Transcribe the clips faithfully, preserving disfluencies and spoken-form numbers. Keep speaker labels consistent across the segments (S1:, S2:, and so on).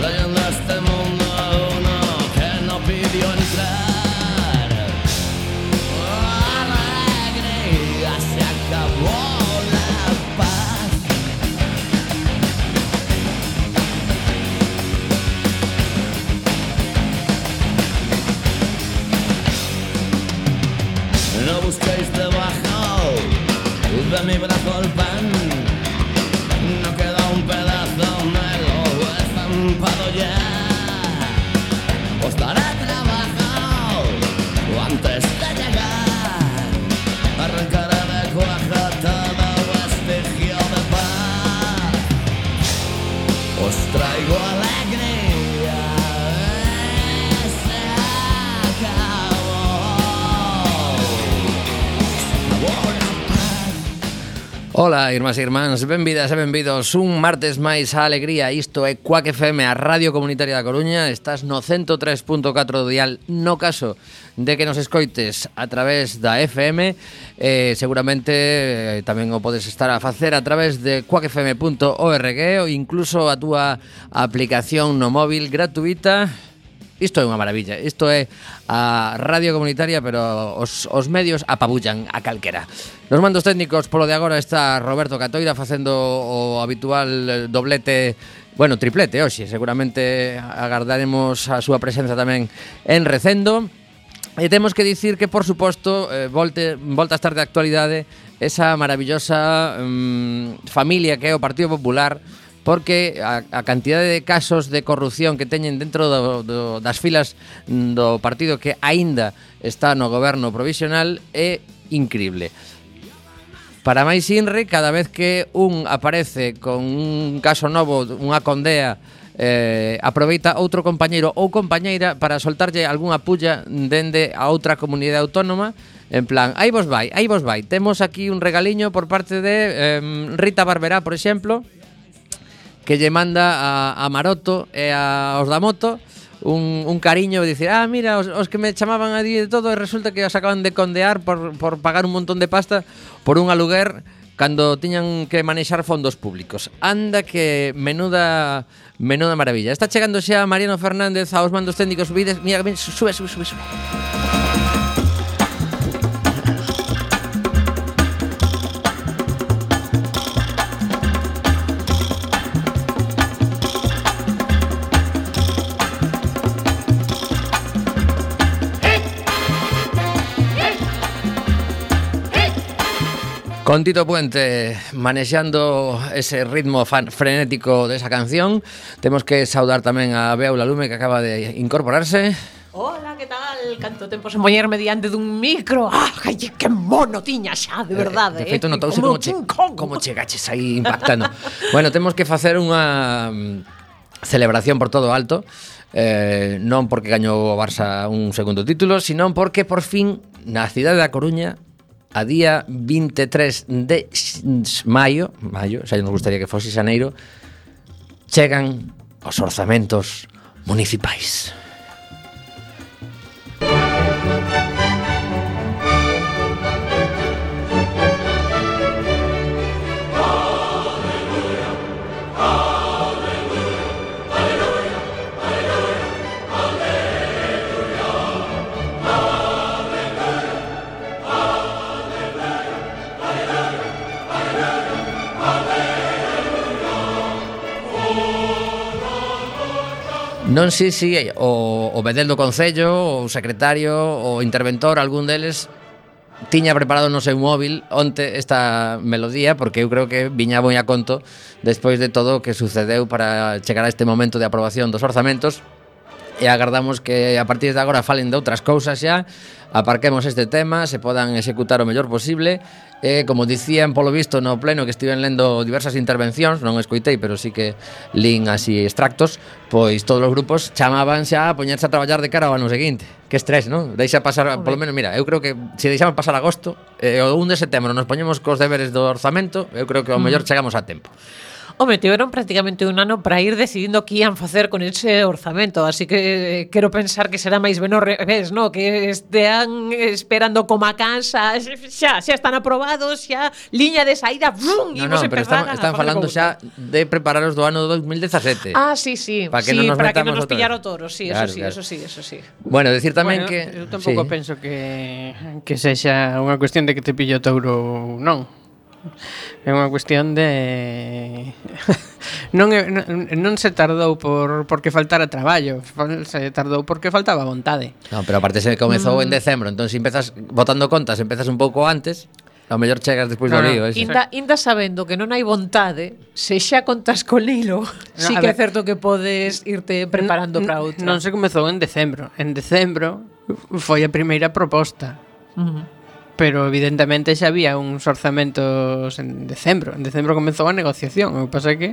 S1: trayendo a este mundo a uno que no pidió entrar. Alegría, se acabó la paz. No busquéis debajo de mi brazo el pan. No queda un pedazo, me lo he estampado ya. Os daré trabajo antes de llegar. Arrancaré de cuaja todo vestigio de paz. Os traigo alegría. Se acabó.
S2: Ola, irmás e irmáns, benvidas e benvidos un martes máis á alegría. Isto é Cuac F M, a Radio Comunitaria da Coruña. Estás no cento tres punto catro do dial. No caso de que nos escoites a través da F M, eh, seguramente eh, tamén o podes estar a facer a través de cuac f m punto org ou incluso a túa aplicación no móvil gratuita. Isto é unha maravilla, isto é a radio comunitaria, pero os, os medios apabullan a calquera. Nos mandos técnicos polo de agora está Roberto Catoira facendo o habitual doblete, bueno, triplete hoxe. Seguramente agardaremos a súa presenza tamén en Recendo. E temos que dicir que, por suposto, eh, volte, volta a estar de actualidade esa maravillosa mm, familia que é o Partido Popular, porque a, a cantidade de casos de corrupción que teñen dentro do, do, das filas do partido que aínda está no goberno provisional é incrible. Para máis inre, cada vez que un aparece con un caso novo, unha condea, eh, aproveita outro compañeiro ou compañeira para soltarlle algunha pulla dende a outra comunidade autónoma. En plan, aí vos vai, aí vos vai. Temos aquí un regaliño por parte de eh, Rita Barberá, por exemplo, que lle manda a, a Maroto e a os da moto un, un cariño de dicir, ah, mira, os, os que me chamaban a di de todo e resulta que os acaban de condear por, por pagar un montón de pasta por un aluguer cando tiñan que manexar fondos públicos. Anda que menuda menuda maravilla. Está chegando xa Mariano Fernández aos mandos técnicos. Vides, mira, sube, sube, sube, sube. Con Tito Puente manexando ese ritmo fan, frenético desa canción. Temos que saudar tamén a Beula Lume, que acaba de incorporarse.
S3: Hola, que tal? Canto tempo sen poñerme diante dun micro. Ah, ai, que mono tiña xa, de verdade.
S2: Eh, de feito, eh? notouse como, che, como chegaches aí impactando. Bueno, temos que facer unha celebración por todo alto. Eh, non porque gañou o Barça un segundo título, sino porque por fin na cidade da Coruña, a día vinte e tres de maio, maio, xa nos gustaría que fose xaneiro, chegan os orzamentos municipais. Non sei se si o, o bedel do Concello, o secretario, o interventor, algún deles tiña preparado no seu móvil onte esta melodía, porque eu creo que viña moi a conto despois de todo o que sucedeu para chegar a este momento de aprobación dos orzamentos. E agardamos que a partir de agora falen de outras cousas xa, aparquemos este tema, se podan executar o mellor posible. E, como dicían polo visto no pleno, que estiven lendo diversas intervencións, non escoitei, pero sí que lín así extractos, pois todos os grupos chamaban xa a poñerse a traballar de cara ao ano seguinte. Que estrés, non? Deixa pasar, polo menos, mira, eu creo que se deixamos pasar agosto, e o un de setembro nos poñemos cos deberes do orzamento, eu creo que ao mellor chegamos a tempo.
S3: Home, tiveron prácticamente un ano para ir decidindo que ian facer con ese orzamento, así que eh, quero pensar que será máis ben ao revés, no? Que estean esperando como a cansa, xa, xa están aprobados, xa liña de saída, brum,
S2: No,
S3: imos
S2: no, pero
S3: empezar
S2: están,
S3: a
S2: están
S3: facer
S2: falando
S3: cousa.
S2: xa de prepararos do ano dos mil dezasete.
S3: Ah, sí, sí,
S2: para que
S3: sí,
S2: non nos
S3: para que
S2: metamos
S3: non nos
S2: outra
S3: pillara
S2: vez.
S3: o toro, sí,
S2: Claro,
S3: eso sí,
S2: claro.
S3: eso sí, eso sí.
S2: Bueno, decir tamén
S4: Bueno,
S2: que
S4: eu tampouco
S2: sí.
S4: penso que que sexa unha cuestión de que te pillo o touro ou non. É unha cuestión de non, é, non, non se tardou por porque faltara traballo, se tardou porque faltaba vontade.
S2: No, pero aparte se comezou mm. en decembro, entón se empezas botando contas, empezas un pouco antes, ao mellor chegas despois
S4: No,
S2: do
S4: no.
S2: lío, ese.
S3: Inda, inda sabendo que non hai vontade, se xa contas con hilo,
S4: No,
S3: sí
S4: a
S3: que é
S4: ver.
S3: certo que podes irte preparando para outra.
S4: Non se comezou en decembro. En decembro foi a primeira proposta.
S3: Uh-huh.
S4: Pero evidentemente xa había uns orzamentos en decembro. En decembro comezou a negociación. O que pasa é que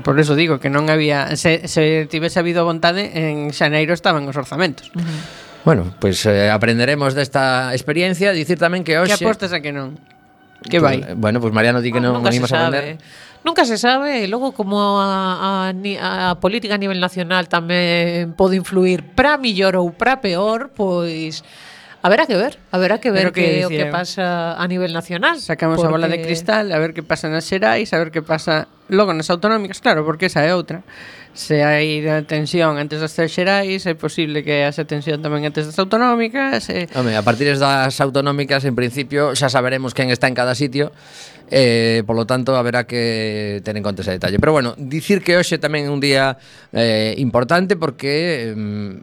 S4: por eso digo que non había se, se tivese habido vontade en xaneiro estaban os orzamentos.
S3: Uh-huh.
S2: Bueno, pois pues, eh, aprenderemos desta experiencia, dicir tamén que hoxe
S4: Que apostas a que non? Que vai?
S2: Pues, bueno, pois pues Mariano di que non
S3: Nunca
S2: non
S3: se
S2: imos a
S3: sabe.
S2: aprender.
S3: Nunca se sabe, e logo como a, a, ni- a política a nivel nacional tamén pode influir para millor ou para peor, pois haberá que ver, haberá que ver
S4: Pero que
S3: que o que
S4: dicía,
S3: pasa a nivel nacional.
S4: Sacamos a bola de
S3: porque-
S4: cristal a ver que pasa nas xerais, a ver que pasa logo nas autonómicas, claro, porque esa é outra. Se hai tensión antes das xerais, é posible que haxa tensión tamén antes das autonómicas. E...
S2: Home, a partir das autonómicas, en principio, xa saberemos quen está en cada sitio, eh, polo tanto, haberá que ter en conta ese detalle. Pero bueno, dicir que hoxe tamén é un día eh, importante porque eh,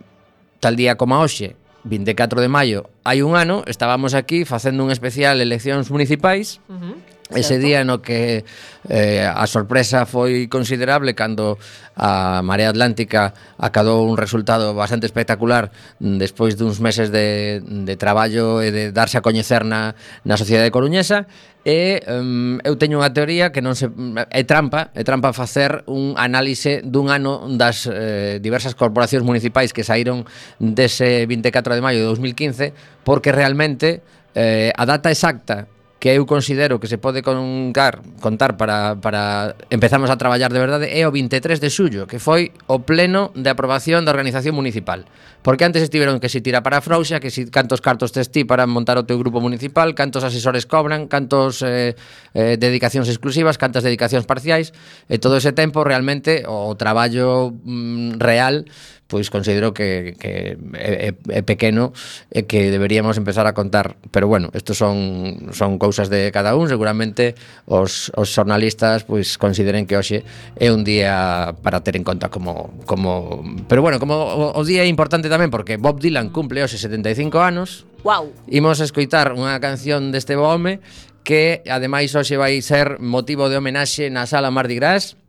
S2: tal día como hoxe, vinte e catro de maio, hai un ano, estábamos aquí facendo un especial eleccións municipais.
S3: Uh-huh.
S2: Ese
S3: Certo.
S2: día no que eh, a sorpresa foi considerable cando a Marea Atlántica acadou un resultado bastante espectacular despois duns meses de, de traballo e de darse a coñecer na, na sociedade coruñesa. E um, eu teño unha teoría que non se é trampa, é trampa facer un análise dun ano das eh, diversas corporacións municipais que saíron dese vinte e catro de maio de dos mil quince, porque realmente eh, a data exacta que eu considero que se pode contar, contar para, para empezamos a traballar de verdade é o vinte e tres de xullo, que foi o pleno de aprobación da organización municipal. Porque antes estiveron que si tira para a frouxa, que si cantos cartos tes ti para montar o teu grupo municipal, cantos asesores cobran, cantos eh, eh, dedicacións exclusivas, cantas dedicacións parciais, e todo ese tempo realmente o traballo mm, real pois considero que, que é, é pequeno e que deberíamos empezar a contar, pero bueno, estos son son cousas de cada un, seguramente os, os xornalistas pois consideren que hoxe é un día para ter en conta como como, pero bueno, como o, o día é importante tamén porque Bob Dylan cumple hoxe setenta e cinco anos.
S3: Wow.
S2: Imos a escoitar unha canción deste home que ademais hoxe vai ser motivo de homenaxe na Sala Mardi Gras.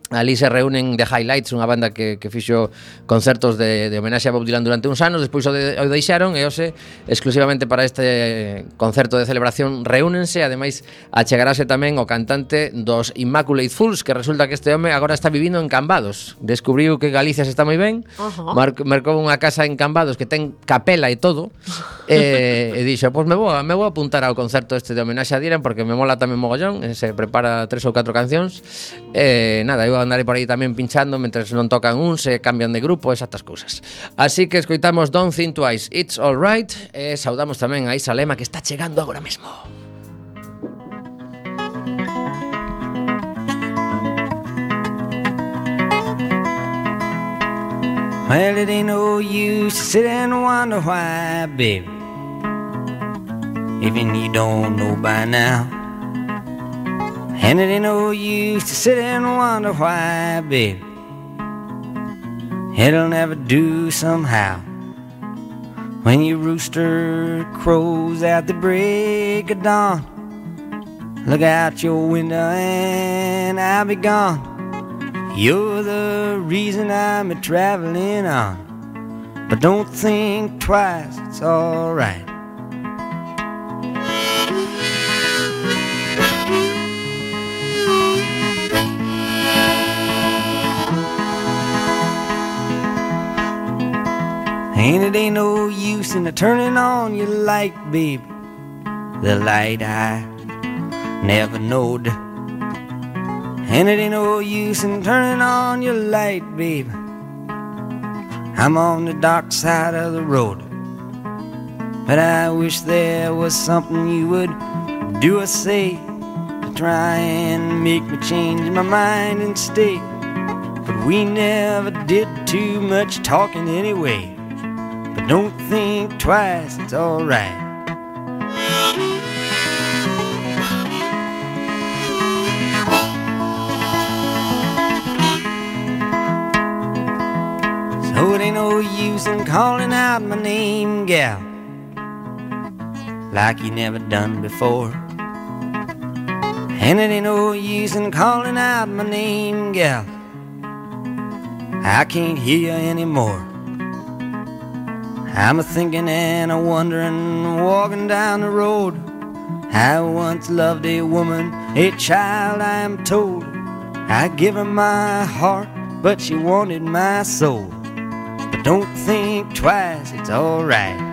S2: Ali se reúnen The Highlights, unha banda que, que fixo concertos de, de homenaxe a Bob Dylan durante uns anos, despois o, de, o deixaron e hoxe, exclusivamente para este concerto de celebración, reúnense, ademais achegarase tamén o cantante dos Immaculate Fools, que resulta que este home agora está vivindo en Cambados. Descubriu que Galicia se está moi ben,
S3: Uh-huh.
S2: mar, marcou unha casa en Cambados que ten capela e todo, e, e dixo, pois pues me vou, me vou apuntar ao concerto este de homenaxe a Dylan porque me mola tamén mogollón, e se prepara tres ou catro cancións, e nada, eu andarei por aí tamén pinchando mentres non tocan un, se cambian de grupo, esas cousas. Así que escoitamos Don't Think Twice, It's Alright, e saudamos tamén a Isa Lema que está chegando agora mesmo.
S5: Well, it ain't no use to sit and wonder why, baby, even you don't know by now. And it ain't no use to sit and wonder why, baby, it'll never do somehow. When your rooster crows at the break of dawn, look out your window and I'll be gone. You're the reason I'm a-traveling on, but don't think twice, it's alright. And it ain't no use in turning on your light, baby, the light I never knowed. and it ain't no use in turning on your light, babe. I'm on the dark side of the road, but I wish there was something you would do or say to try and make me change my mind and stay. But we never did too much talking anyway. But don't think twice, it's alright. So it ain't no use in calling out my name, gal, like you never done before. And it ain't no use in calling out my name, gal, I can't hear you anymore. I'm a-thinking and a-wondering, walking down the road. I once loved a woman, a child I am told. I give her my heart, but she wanted my soul. But don't think twice, it's alright.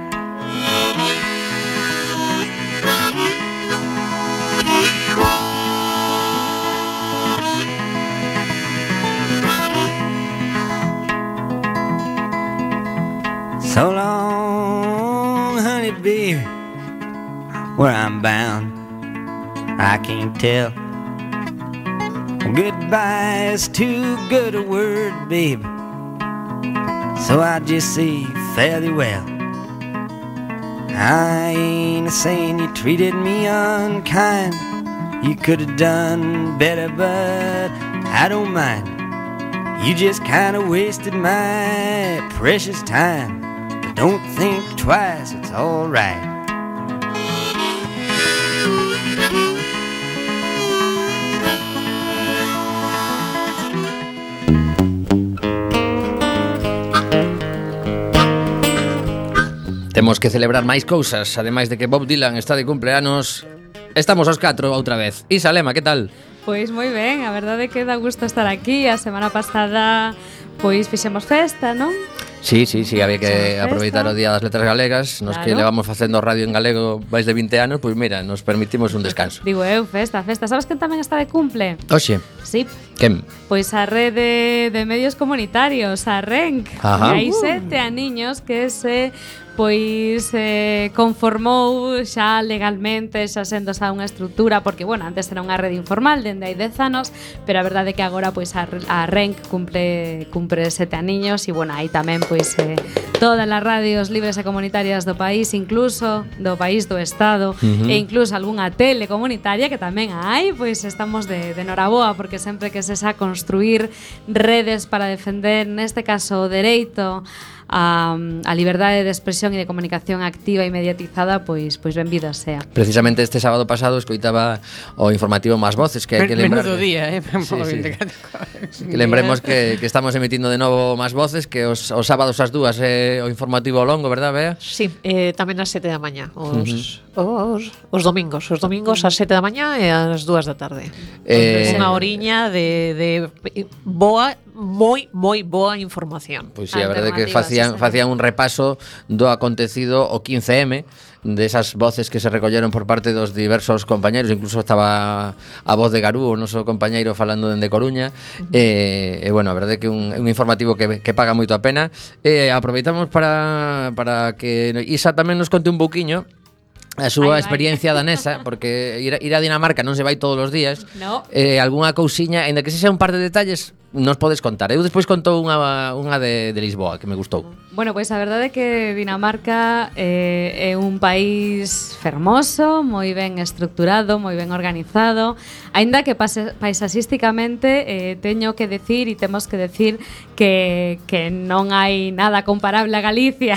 S5: So long, honey, baby, where I'm bound, I can't tell. Goodbye is too good a word, baby, so I just say fare thee well. I ain't saying you treated me unkind. You could have done better, but I don't mind. You just kind of wasted my precious time. But don't think twice, it's alright.
S2: Temos que celebrar máis cousas, ademais de que Bob Dylan está de cumpleanos. Estamos aos catro outra vez. Isa Lema, que tal?
S6: Pois moi ben, a verdade é que dá gusto estar aquí. A semana pasada pois fixemos festa, non?
S2: Sí, sí, sí, había que aproveitar o Día das Letras Galegas. Nos
S6: Claro.
S2: que levamos facendo radio en galego máis de vinte anos, pois mira, nos permitimos un descanso.
S6: Digo eu, festa, festa. Sabes quen tamén está de cumple?
S2: Oxe,
S6: Sí,
S2: quen?
S6: pois a rede de medios comunitarios, a RENC.
S2: Ajá.
S6: E hai sete aniños que se pois eh, conformou xa legalmente, xa sendo xa unha estrutura, porque, bueno, antes era unha rede informal dende hai dez anos, pero a verdade é que agora pois a, a RENC cumple cumpre sete aniños e, bueno, aí tamén pois eh, todas as radios libres e comunitarias do país, incluso do país do Estado,
S2: Uh-huh.
S6: e incluso algunha tele comunitaria que tamén hai, pois estamos de, de noraboa, porque sempre que se xa construir redes para defender, neste caso, o dereito a, a liberdade de expresión e de comunicación activa e mediatizada, pois pois benvida sea.
S2: Precisamente este sábado pasado escoitaba o informativo Más Voces, que hai que lembrar.
S4: Menudo día, eh?
S2: Sí, sí. Que lembremos que, que estamos emitindo de novo Más Voces, que os, os sábados ás dúas é o informativo longo, verdad, Bea?
S3: Sí, eh, tamén ás sete da mañá os, uh-huh. os, os domingos Os domingos ás sete da mañá e ás dúas da tarde.
S2: Eh,
S3: Unha horiña de, de boa, moi, moi boa información.
S2: Pois sí, a verdade é que
S6: Alternativas,
S2: facían,
S6: sí,
S2: facían un repaso do acontecido o quince eme, desas voces que se recolleron por parte dos diversos compañeiros, incluso estaba a voz de Garú, o noso compañeiro falando dende Coruña, uh-huh. e, e bueno, a verdade é que un, un informativo que, que paga moito a pena. E aproveitamos para, para que Isa tamén nos conte un pouquiño a súa
S6: Ai, vai.
S2: experiencia danesa, porque ir a, ir a Dinamarca non se vai todos os días.
S6: No.
S2: Eh, algunha cousiña, ainda que se sea un par de detalles, nos podes contar. Eu despois contou unha, unha de, de Lisboa, que me gustou.
S6: Bueno, pois a verdade é que Dinamarca eh, é un país fermoso, moi ben estructurado, moi ben organizado, aínda que pase, paisaxísticamente eh, teño que decir e temos que decir que, que non hai nada comparable a Galicia.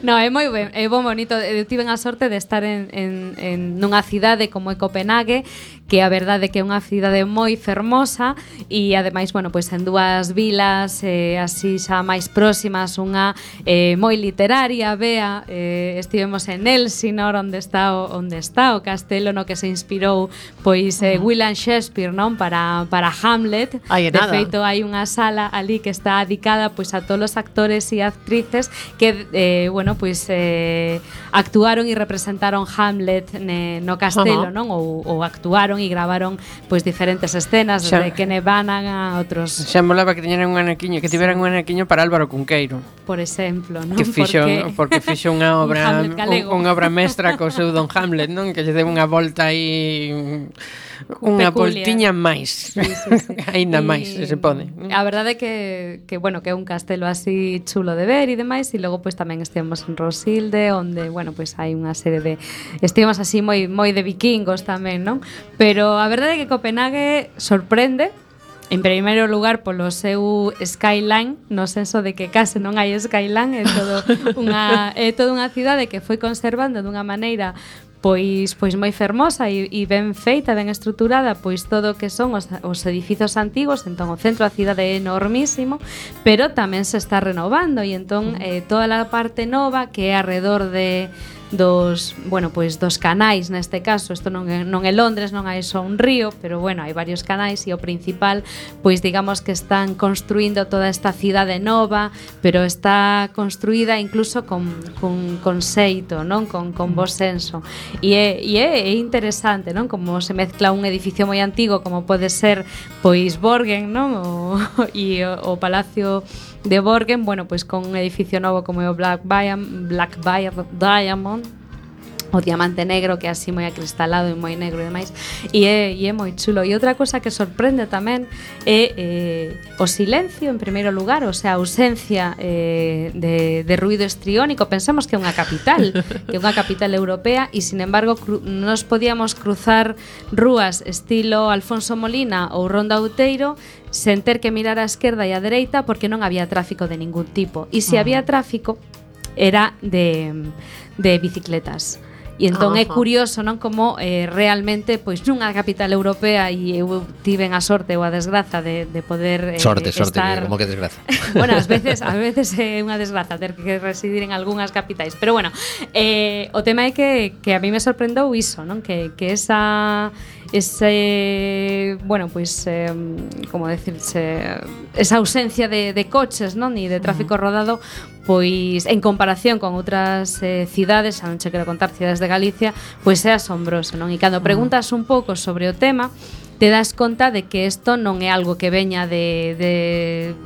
S6: No, é moi ben, é bon bonito. Eu tive a sorte de estar en, en, en nunha cidade como é Copenhague, que a verdade é que é unha cidade moi fermosa e ademais, bueno, pois en dúas vilas eh, así xa máis próximas, unha eh, moi literaria, Bea, eh, estivemos en Elsinor, onde está o, onde está o castelo no que se inspirou pois eh, William Shakespeare, non, para, para Hamlet.
S3: Ai, e
S6: de
S3: nada.
S6: feito, hai unha sala ali que está dedicada pois a todos os actores e actrices que eh, bueno, pois eh, actuaron e representaron Hamlet ne, no castelo,
S3: Ajá.
S6: non? Ou, ou actuaron foron e gravaron pois diferentes escenas desde
S4: Xa.
S6: que nevanan a outros,
S4: Xa molaba que teñeran un anequiño, que tiveran un anequiño para Álvaro Cunqueiro,
S6: por exemplo, non?
S4: que fixo
S6: Porque
S4: porque fixo unha
S6: un
S4: obra
S6: Hamlet galego.
S4: un, unha obra mestra co seu Don Hamlet, non? Que lle deu unha volta aí unha
S6: Peculiar.
S4: voltiña máis.
S6: Sí, sí, sí.
S4: Aínda
S6: E
S4: máis, se se pode.
S6: A verdade é que, que, bueno, que é un castelo así chulo de ver e demais, e logo pois tamén estivemos en Rosilde, onde, bueno, pois hai unha serie de estivemos así moi moi de vikingos tamén, non? Pero a verdade é que Copenhague sorprende. En primeiro lugar polo seu skyline, no senso de que case non hai skyline, é todo unha é toda unha cidade que foi conservando dunha maneira pois pois moi fermosa e, e ben feita, ben estruturada, pois todo o que son os, os edificios antigos, entón o centro da cidade é enormísimo, pero tamén se está renovando e entón eh, toda a parte nova que é alrededor de dos, bueno, pois dos canais neste caso, isto non é, non é Londres, non hai só un río, pero bueno, hai varios canais e o principal, pois digamos que están construindo toda esta cidade nova, pero está construída incluso con, con conceito, non? Con, con bo senso. E é, e é, é interesante, non? Como se mezcla un edificio moi antigo como pode ser pois Borgen, non? O, e o, o Palacio de Borgen, bueno, pois con un edificio novo como é o Black Diamond, Black Diamond, o diamante negro que é así moi acristalado e moi negro e demais, e é, e é moi chulo. E outra cosa que sorprende tamén é eh, o silencio en primeiro lugar, o sea, a ausencia eh, de, de ruido estriónico. Pensamos que é unha capital, que é unha capital europea, e sin embargo cru, nos podíamos cruzar rúas estilo Alfonso Molina ou Ronda Outeiro sen ter que mirar á esquerda e á dereita porque non había tráfico de ningún tipo. E se había tráfico era de, de bicicletas. E entón é
S3: Ajá.
S6: curioso, non, como eh, realmente pois nunha capital europea, e eu tiven a sorte ou a desgraza de, de poder eh,
S2: Sorte, sorte,
S6: estar...
S2: que, como que desgraza.
S6: Bueno, ás veces, ás veces é unha desgraza ter que residir en algunhas capitais, pero bueno, eh, o tema é que, que a mí me sorprendeu iso, non? Que, que esa ese, bueno, pois eh, como decirse, esa ausencia de, de coches, non? E de tráfico rodado, pois en comparación con outras eh, cidades, xa non che quero contar cidades de Galicia, pois é asombroso, non? E cando preguntas un pouco sobre o tema, te das conta de que isto non é algo que veña de, de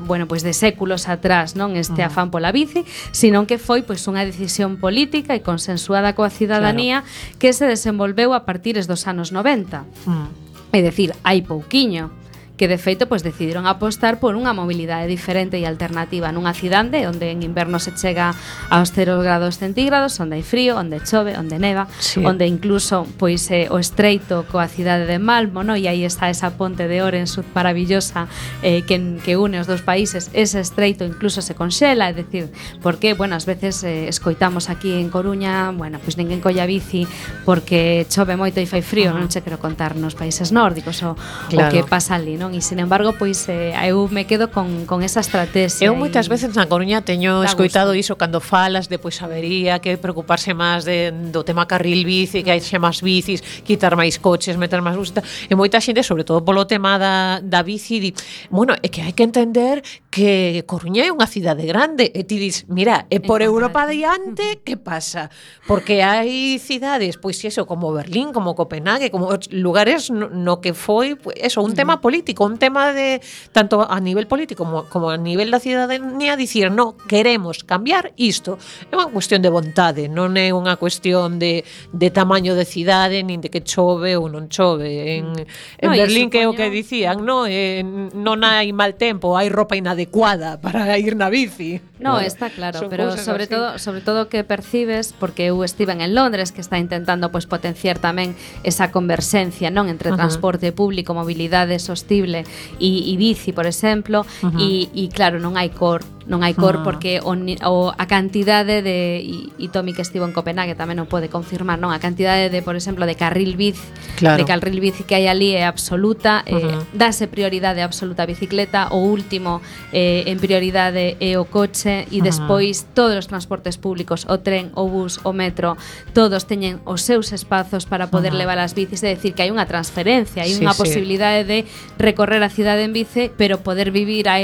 S6: bueno, pois de séculos atrás, non, este afán pola bici, sino que foi pois unha decisión política e consensuada coa cidadanía, claro, que se desenvolveu a partires dos anos noventa.
S3: Mm.
S6: É dicir, hai pouquiño, que de feito pois decidiron apostar por unha mobilidade diferente e alternativa nunha cidade onde en inverno se chega aos cero grados centígrados, onde hai frío, onde chove, onde neva,
S3: Sí.
S6: onde incluso pois eh, o estreito coa cidade de Malmo, no? E aí está esa ponte de Orensud maravillosa eh, que, que une os dous países. Ese estreito incluso se conxela, é dicir, porque, bueno, ás veces eh, escoitamos aquí en Coruña, bueno, pois ninguén colla bici porque chove moito e fai frío, non che quero contar nos países nórdicos o,
S3: Claro.
S6: o que pasa ali, non? E sin embargo, pois eh, eu me quedo con, con esa estrategia.
S3: Eu moitas
S6: e-
S3: veces na Coruña teño
S6: dá
S3: escoitado
S6: gusto.
S3: iso cando falas de pois habería que preocuparse máis de, do tema carril bici, que hai xe máis bicis, quitar máis coches, meter máis buses, e moita xente, sobre todo polo tema da, da bici, di, bueno, é que hai que entender que Coruña é unha cidade grande, e ti dis, mira, e por
S6: É
S3: Europa
S6: correcto.
S3: adiante, que pasa? Porque hai cidades, pois eso, como Berlín, como Copenhague, como lugares no, no que foi, pues, eso, un tema político, un tema de tanto a nivel político como, como a nivel da cidadanía, dicir, no, queremos cambiar isto. É unha cuestión de vontade, non é unha cuestión de, de tamaño de cidade, nin de que chove ou non chove. En, en
S6: No, e
S3: Berlín, que é o que
S6: supoño-
S3: dicían, no, eh, non hai mal tempo, hai roupa inadecuada para ir na bici.
S6: No,
S3: Claro.
S6: está claro,
S3: Son
S6: pero
S3: cousas
S6: sobre
S3: así.
S6: todo, sobre todo que percibes, porque eu estive en Londres, que está intentando pois potenciar tamén esa converxencia, non, entre
S3: Ajá.
S6: transporte público, mobilidade sostible e, e bici, por exemplo,
S3: Ajá.
S6: e, e claro, non hai cor, non hai cor
S3: Ah.
S6: porque o, ni- o a cantidade de e, e Tommy que estivo en Copenhague tamén o pode confirmar, non, a cantidade de, por exemplo, de carril bici,
S3: Claro.
S6: de carril bici que hai ali é absoluta, eh,
S3: Ajá.
S6: dáse prioridade absoluta á bicicleta, o último eh, en prioridade é o coche. bice e despois todos os transportes públicos, o tren, o bus, o metro, todos teñen os seus espazos para poder levar as bicis, é dicir, que hai unha transferencia, hai
S4: Sí,
S6: unha
S4: sí.
S6: posibilidade de recorrer a cidade en bici, pero poder vivir a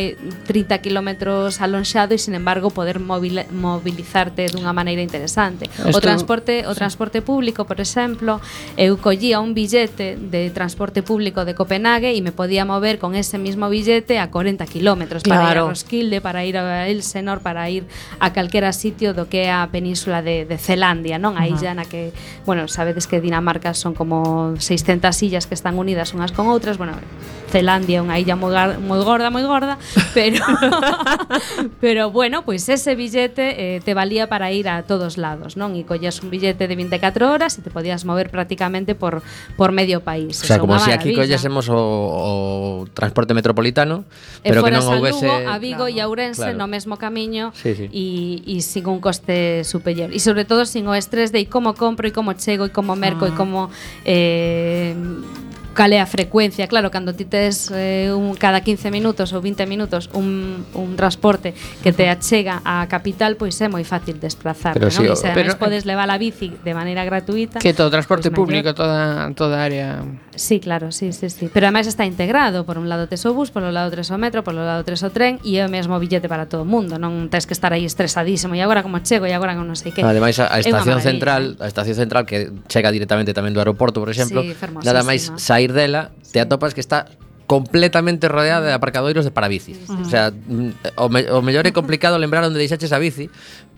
S6: trinta kilómetros alonxado e, sin embargo, poder movil- movilizarte dunha maneira interesante. O
S4: Esto-
S6: transporte, o transporte público, por exemplo, eu collía un billete de transporte público de Copenhague e me podía mover con ese mismo billete a cuarenta kilómetros para ir a
S3: Claro.
S6: Roskilde, para ir a Elsenor, para ir a calquera sitio do que é a península de, de Zelandia, non? A illa na que, bueno, sabedes que Dinamarca son como seiscentas illas que están unidas unhas con outras, bueno, Zelandia é unha illa moi, gar, moi gorda, moi gorda, pero pero bueno, pois pues ese billete eh, te valía para ir a todos lados, non? E collías un billete de veinticuatro horas e te podías mover prácticamente por por medio país.
S2: O sea,
S6: Eso é
S2: como
S6: unha
S2: se aquí
S6: maravilla.
S2: collésemos o, o transporte metropolitano,
S6: E
S2: pero que
S6: foras
S2: non
S6: a
S2: houvese...
S6: Lugo, a Vigo e a Ourense
S2: Claro.
S6: no mesmo camiño
S2: Sí, sí.
S6: e, e sin un coste superior. E sobre todo sin o estrés de como compro e como chego e como merco e como eh, cal é a frecuencia. Claro, cando ti tes eh, un, cada quince minutos ou vinte minutos un, un transporte que te achega á capital, pois é moi fácil desplazarte,
S2: Pero
S6: non?
S2: sí,
S6: E
S2: o-
S6: se
S4: pero-
S6: además podes levar a bici de maneira gratuita.
S4: Que todo transporte
S6: pois mellor.
S4: público, toda toda área.
S6: Sí, claro, sí, sí, sí. Pero además está integrado. Por un lado tes o bus, por un lado tes o metro, por un lado tes o tren e é o mesmo billete para todo o mundo. Non tens que estar aí estresadísimo e agora como chego e agora como non sei que.
S2: Ademais, a, a
S6: É unha
S2: estación
S6: maravilla.
S2: central, a estación central que chega directamente tamén do aeroporto, por exemplo,
S6: Sí, fermosísima.
S2: nada máis sair dela, te atopas que está completamente rodeada de aparcadoiros de parabicis. O sea, mm, o, me, o mellor é complicado lembrar onde deixaches a bici,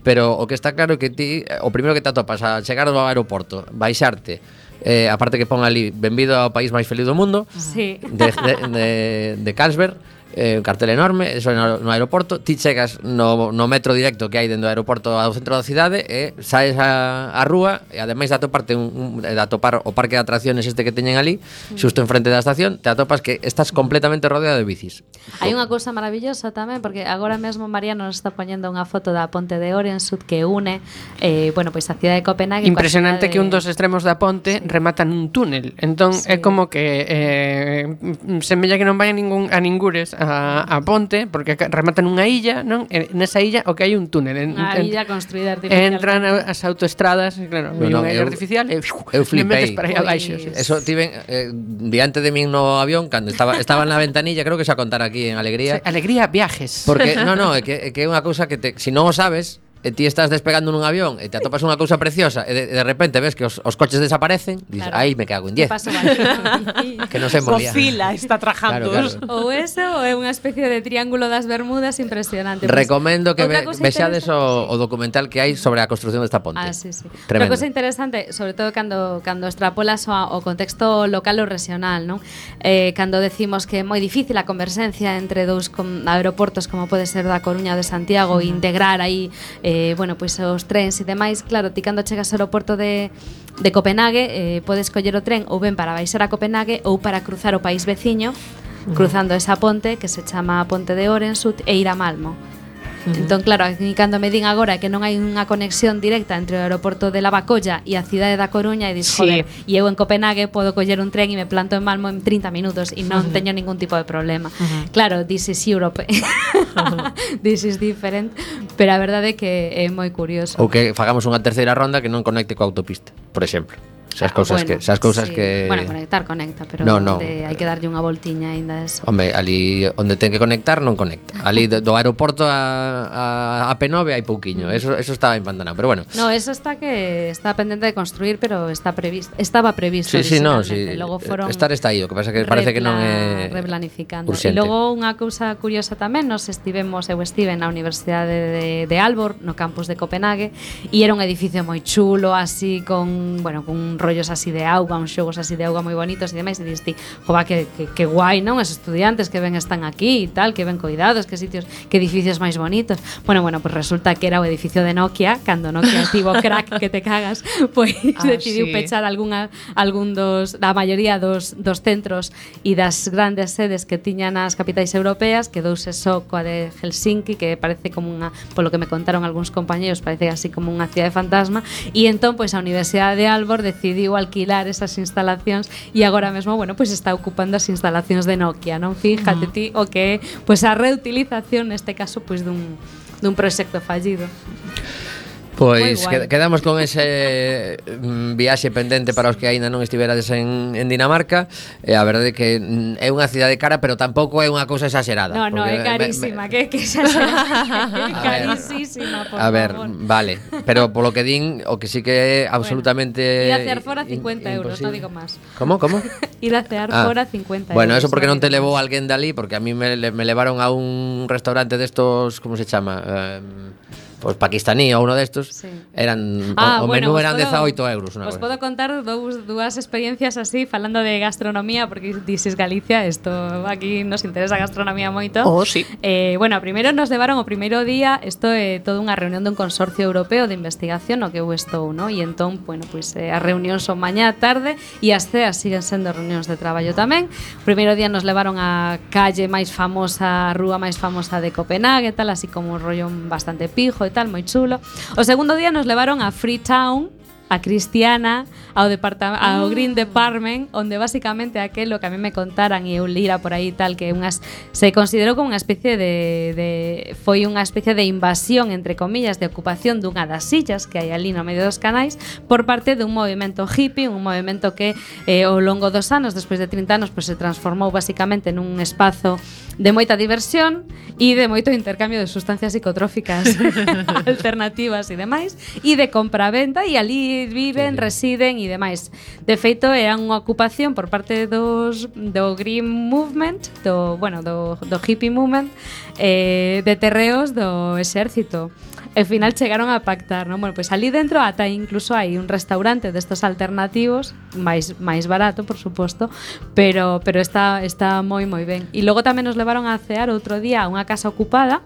S2: pero o que está claro é que ti, o primeiro que te atopas a chegar ao aeroporto, baixarte, eh, aparte que pon ali benvido ao país máis feliz do mundo,
S6: Sí.
S2: de, de, de, de Carlsberg, eh, un cartel enorme, eso no, no aeroporto, ti chegas no, no metro directo que hai dentro do aeroporto ao centro da cidade e saes a, a rúa e ademais de atoparte un, un, de atopar o parque de atracciones este que teñen ali, xusto enfrente da estación, te atopas que estás completamente rodeado de bicis.
S6: Hai unha cousa maravillosa tamén, porque agora mesmo Mariano nos está poñendo unha foto da ponte de Orensud que une eh, bueno, pois a cidade de Copenhague coa
S4: Impresionante
S6: cidade
S4: que un dos extremos da ponte remata nun túnel. Entón
S6: Sí.
S4: é como que eh, semella que non vai a ningún a ningures a, a ponte porque ca- remata nunha illa, non? E nesa illa o que hai un túnel. En,
S6: unha
S4: en-
S6: illa construída artificialmente.
S4: Entran a- as autoestradas, claro,
S2: No,
S4: hai
S2: no,
S4: unha illa
S2: eu-
S4: artificial e
S2: Eu
S4: le metes
S2: flipei.
S4: para aí abaixo.
S6: Pois-
S4: Sí.
S2: Eso tiven eh, diante de min no avión cando estaba estaba na ventanilla, creo que xa contar aquí en Alegría.
S4: Alegría viajes.
S2: Porque, no, no, é que, é que é unha cousa que te, si non o sabes, e ti estás despegando nun avión e te atopas unha cousa preciosa e de, de repente ves que os, os coches desaparecen, dices,
S6: Claro.
S2: aí me cago en diez.
S6: Paso baixo.
S2: Que non se molía.
S3: Cocila está trajando.
S2: Claro, claro.
S6: Ou eso, ou é unha especie de triángulo das Bermudas impresionante.
S2: Recomendo que
S6: Outra
S2: ve,
S6: cousa
S2: vexades
S6: interesante-
S2: o, o documental que hai sobre a construción desta ponte.
S6: Ah, sí, sí. Outra
S2: Tremendo.
S6: cosa interesante, sobre todo cando cando extrapolas ao, ao contexto local ou regional, non? Eh, cando decimos que é moi difícil a conversencia entre dous com, aeroportos como pode ser da Coruña ou de Santiago e integrar aí, eh, bueno, pois os trens e demais, claro, ti cando chegas ao aeroporto de de Copenhague, eh, podes coller o tren ou ben para baixar a Copenhague ou para cruzar o país veciño, cruzando esa ponte que se chama a Ponte de Orensud e ir a Malmo. Entón, claro, aquí cando me din agora que non hai unha conexión directa entre o aeroporto de Lavacolla e a cidade da Coruña e dis,
S3: Sí.
S6: joder, e eu en Copenhague podo coller un tren e me planto en Malmo en trinta minutos e non teño ningún tipo de problema. Claro, this is Europe. This is different, pero a verdade é que é moi curioso.
S2: Ou que fagamos unha terceira ronda que non conecte coa autopista, por exemplo. Esas cousas
S6: Bueno,
S2: que, esas cousas
S6: sí.
S2: que
S6: Bueno, conectar conecta, pero
S2: No, no.
S6: onde hai que darlle unha voltiña aínda eso.
S2: Home, ali onde ten que conectar non conecta. Ali do, do aeroporto a, a, a P nove hai pouquiño. Eso eso estaba empantanado, pero bueno.
S6: No, eso está que está pendente de construir, pero está previsto, estaba previsto.
S2: Sí, sí, no, sí.
S6: originalmente. Logo foron
S2: Estar está aí, o que pasa que parece que non é
S6: replanificando.
S2: urxente.
S6: E logo unha cousa curiosa tamén, nos estivemos, eu estive na Universidade de, de Aalborg, no campus de Copenhague, e era un edificio moi chulo, así con, bueno, con rollos así de auga, uns xogos así de auga moi bonitos e demais, e diste, jova, que, que, que guai, non? Os estudiantes que ven están aquí e tal, que ven cuidados, que sitios, que edificios máis bonitos. Bueno, bueno, pues resulta que era o edificio de Nokia, cando Nokia tivo crack que te cagas, pois
S3: Ah,
S6: decidiu
S3: sí.
S6: pechar algunha algún dos da maioría dos dos centros e das grandes sedes que tiñan as capitais europeas, quedouse só coa de Helsinki, que parece como unha, polo que me contaron algúns compañeros, parece así como unha cidade fantasma, e entón pois a Universidade de Aalborg decidiu decidiu alquilar esas instalacións e agora mesmo, bueno, pois está ocupando as instalacións de Nokia, non? Fíjate ti o que é pois a reutilización neste caso pois dun dun proxecto fallido.
S2: Pois que, quedamos con ese mm, viaxe pendente para os que aínda non estiverades en, en Dinamarca. E a verdade é que mm, é unha cidade cara, pero tampouco é unha cousa exagerada.
S6: No, no, é carísima, me, me, que, que exagerada. É carísima, por
S2: a ver,
S6: favor.
S2: Vale, pero polo que din, o que sí que é absolutamente
S6: bueno, ir a cear fora cincuenta euros, non digo máis.
S2: Como, como?
S6: Ir a cear ah. fora cincuenta euros.
S2: Bueno, eso porque non te levou alguén dali, porque a mí me, me levaron a un restaurante destos, como se chama? Eh, Pois pakistaní ou uno destos, sí. Eran
S6: ah,
S2: o, o
S6: bueno,
S2: menú eran
S6: podo,
S2: dezaoito euros.
S6: Os podo contar dous, dúas experiencias así, falando de gastronomía, porque dices Galicia, esto aquí nos interesa a gastronomía moito.
S3: Oh, sí.
S6: Eh, bueno, primeiro nos levaron o primeiro día, isto é toda unha reunión dun consorcio europeo de investigación no que eu estou, ¿no? E entón, bueno, pois pues, eh, as reunións son mañá, tarde e as ceas siguen sendo reunións de traballo tamén. O primeiro día nos levaron a calle máis famosa, a rúa máis famosa de Copenhague, tal, así como un rollo bastante pijo e tal, moi chulo. O segundo día nos levaron a Freetown, a Cristiana, ao, ao Green Department, onde basicamente aquelo que a mí me contaran e eu lira por aí tal, que unhas, se considerou como unha especie de, de foi unha especie de invasión, entre comillas, de ocupación dunha das sillas que hai ali no medio dos canais por parte dun movimento hippie, un movimento que eh, ao longo dos anos, despois de trinta anos, pues, se transformou basicamente nun espazo de moita diversión e de moito intercambio de sustancias psicotróficas alternativas e demais, e de compra-venta, e ali viven, residen e demais. De feito, era unha ocupación por parte dos do Green Movement, do, bueno, do, do hippie movement, eh, de terreos do exército. Ao final chegaron a pactar, non? Bueno, pois pues ali dentro ata incluso hai un restaurante destos alternativos, máis máis barato, por suposto, pero pero está está moi moi ben. E logo tamén nos levaron a cear outro día a unha casa ocupada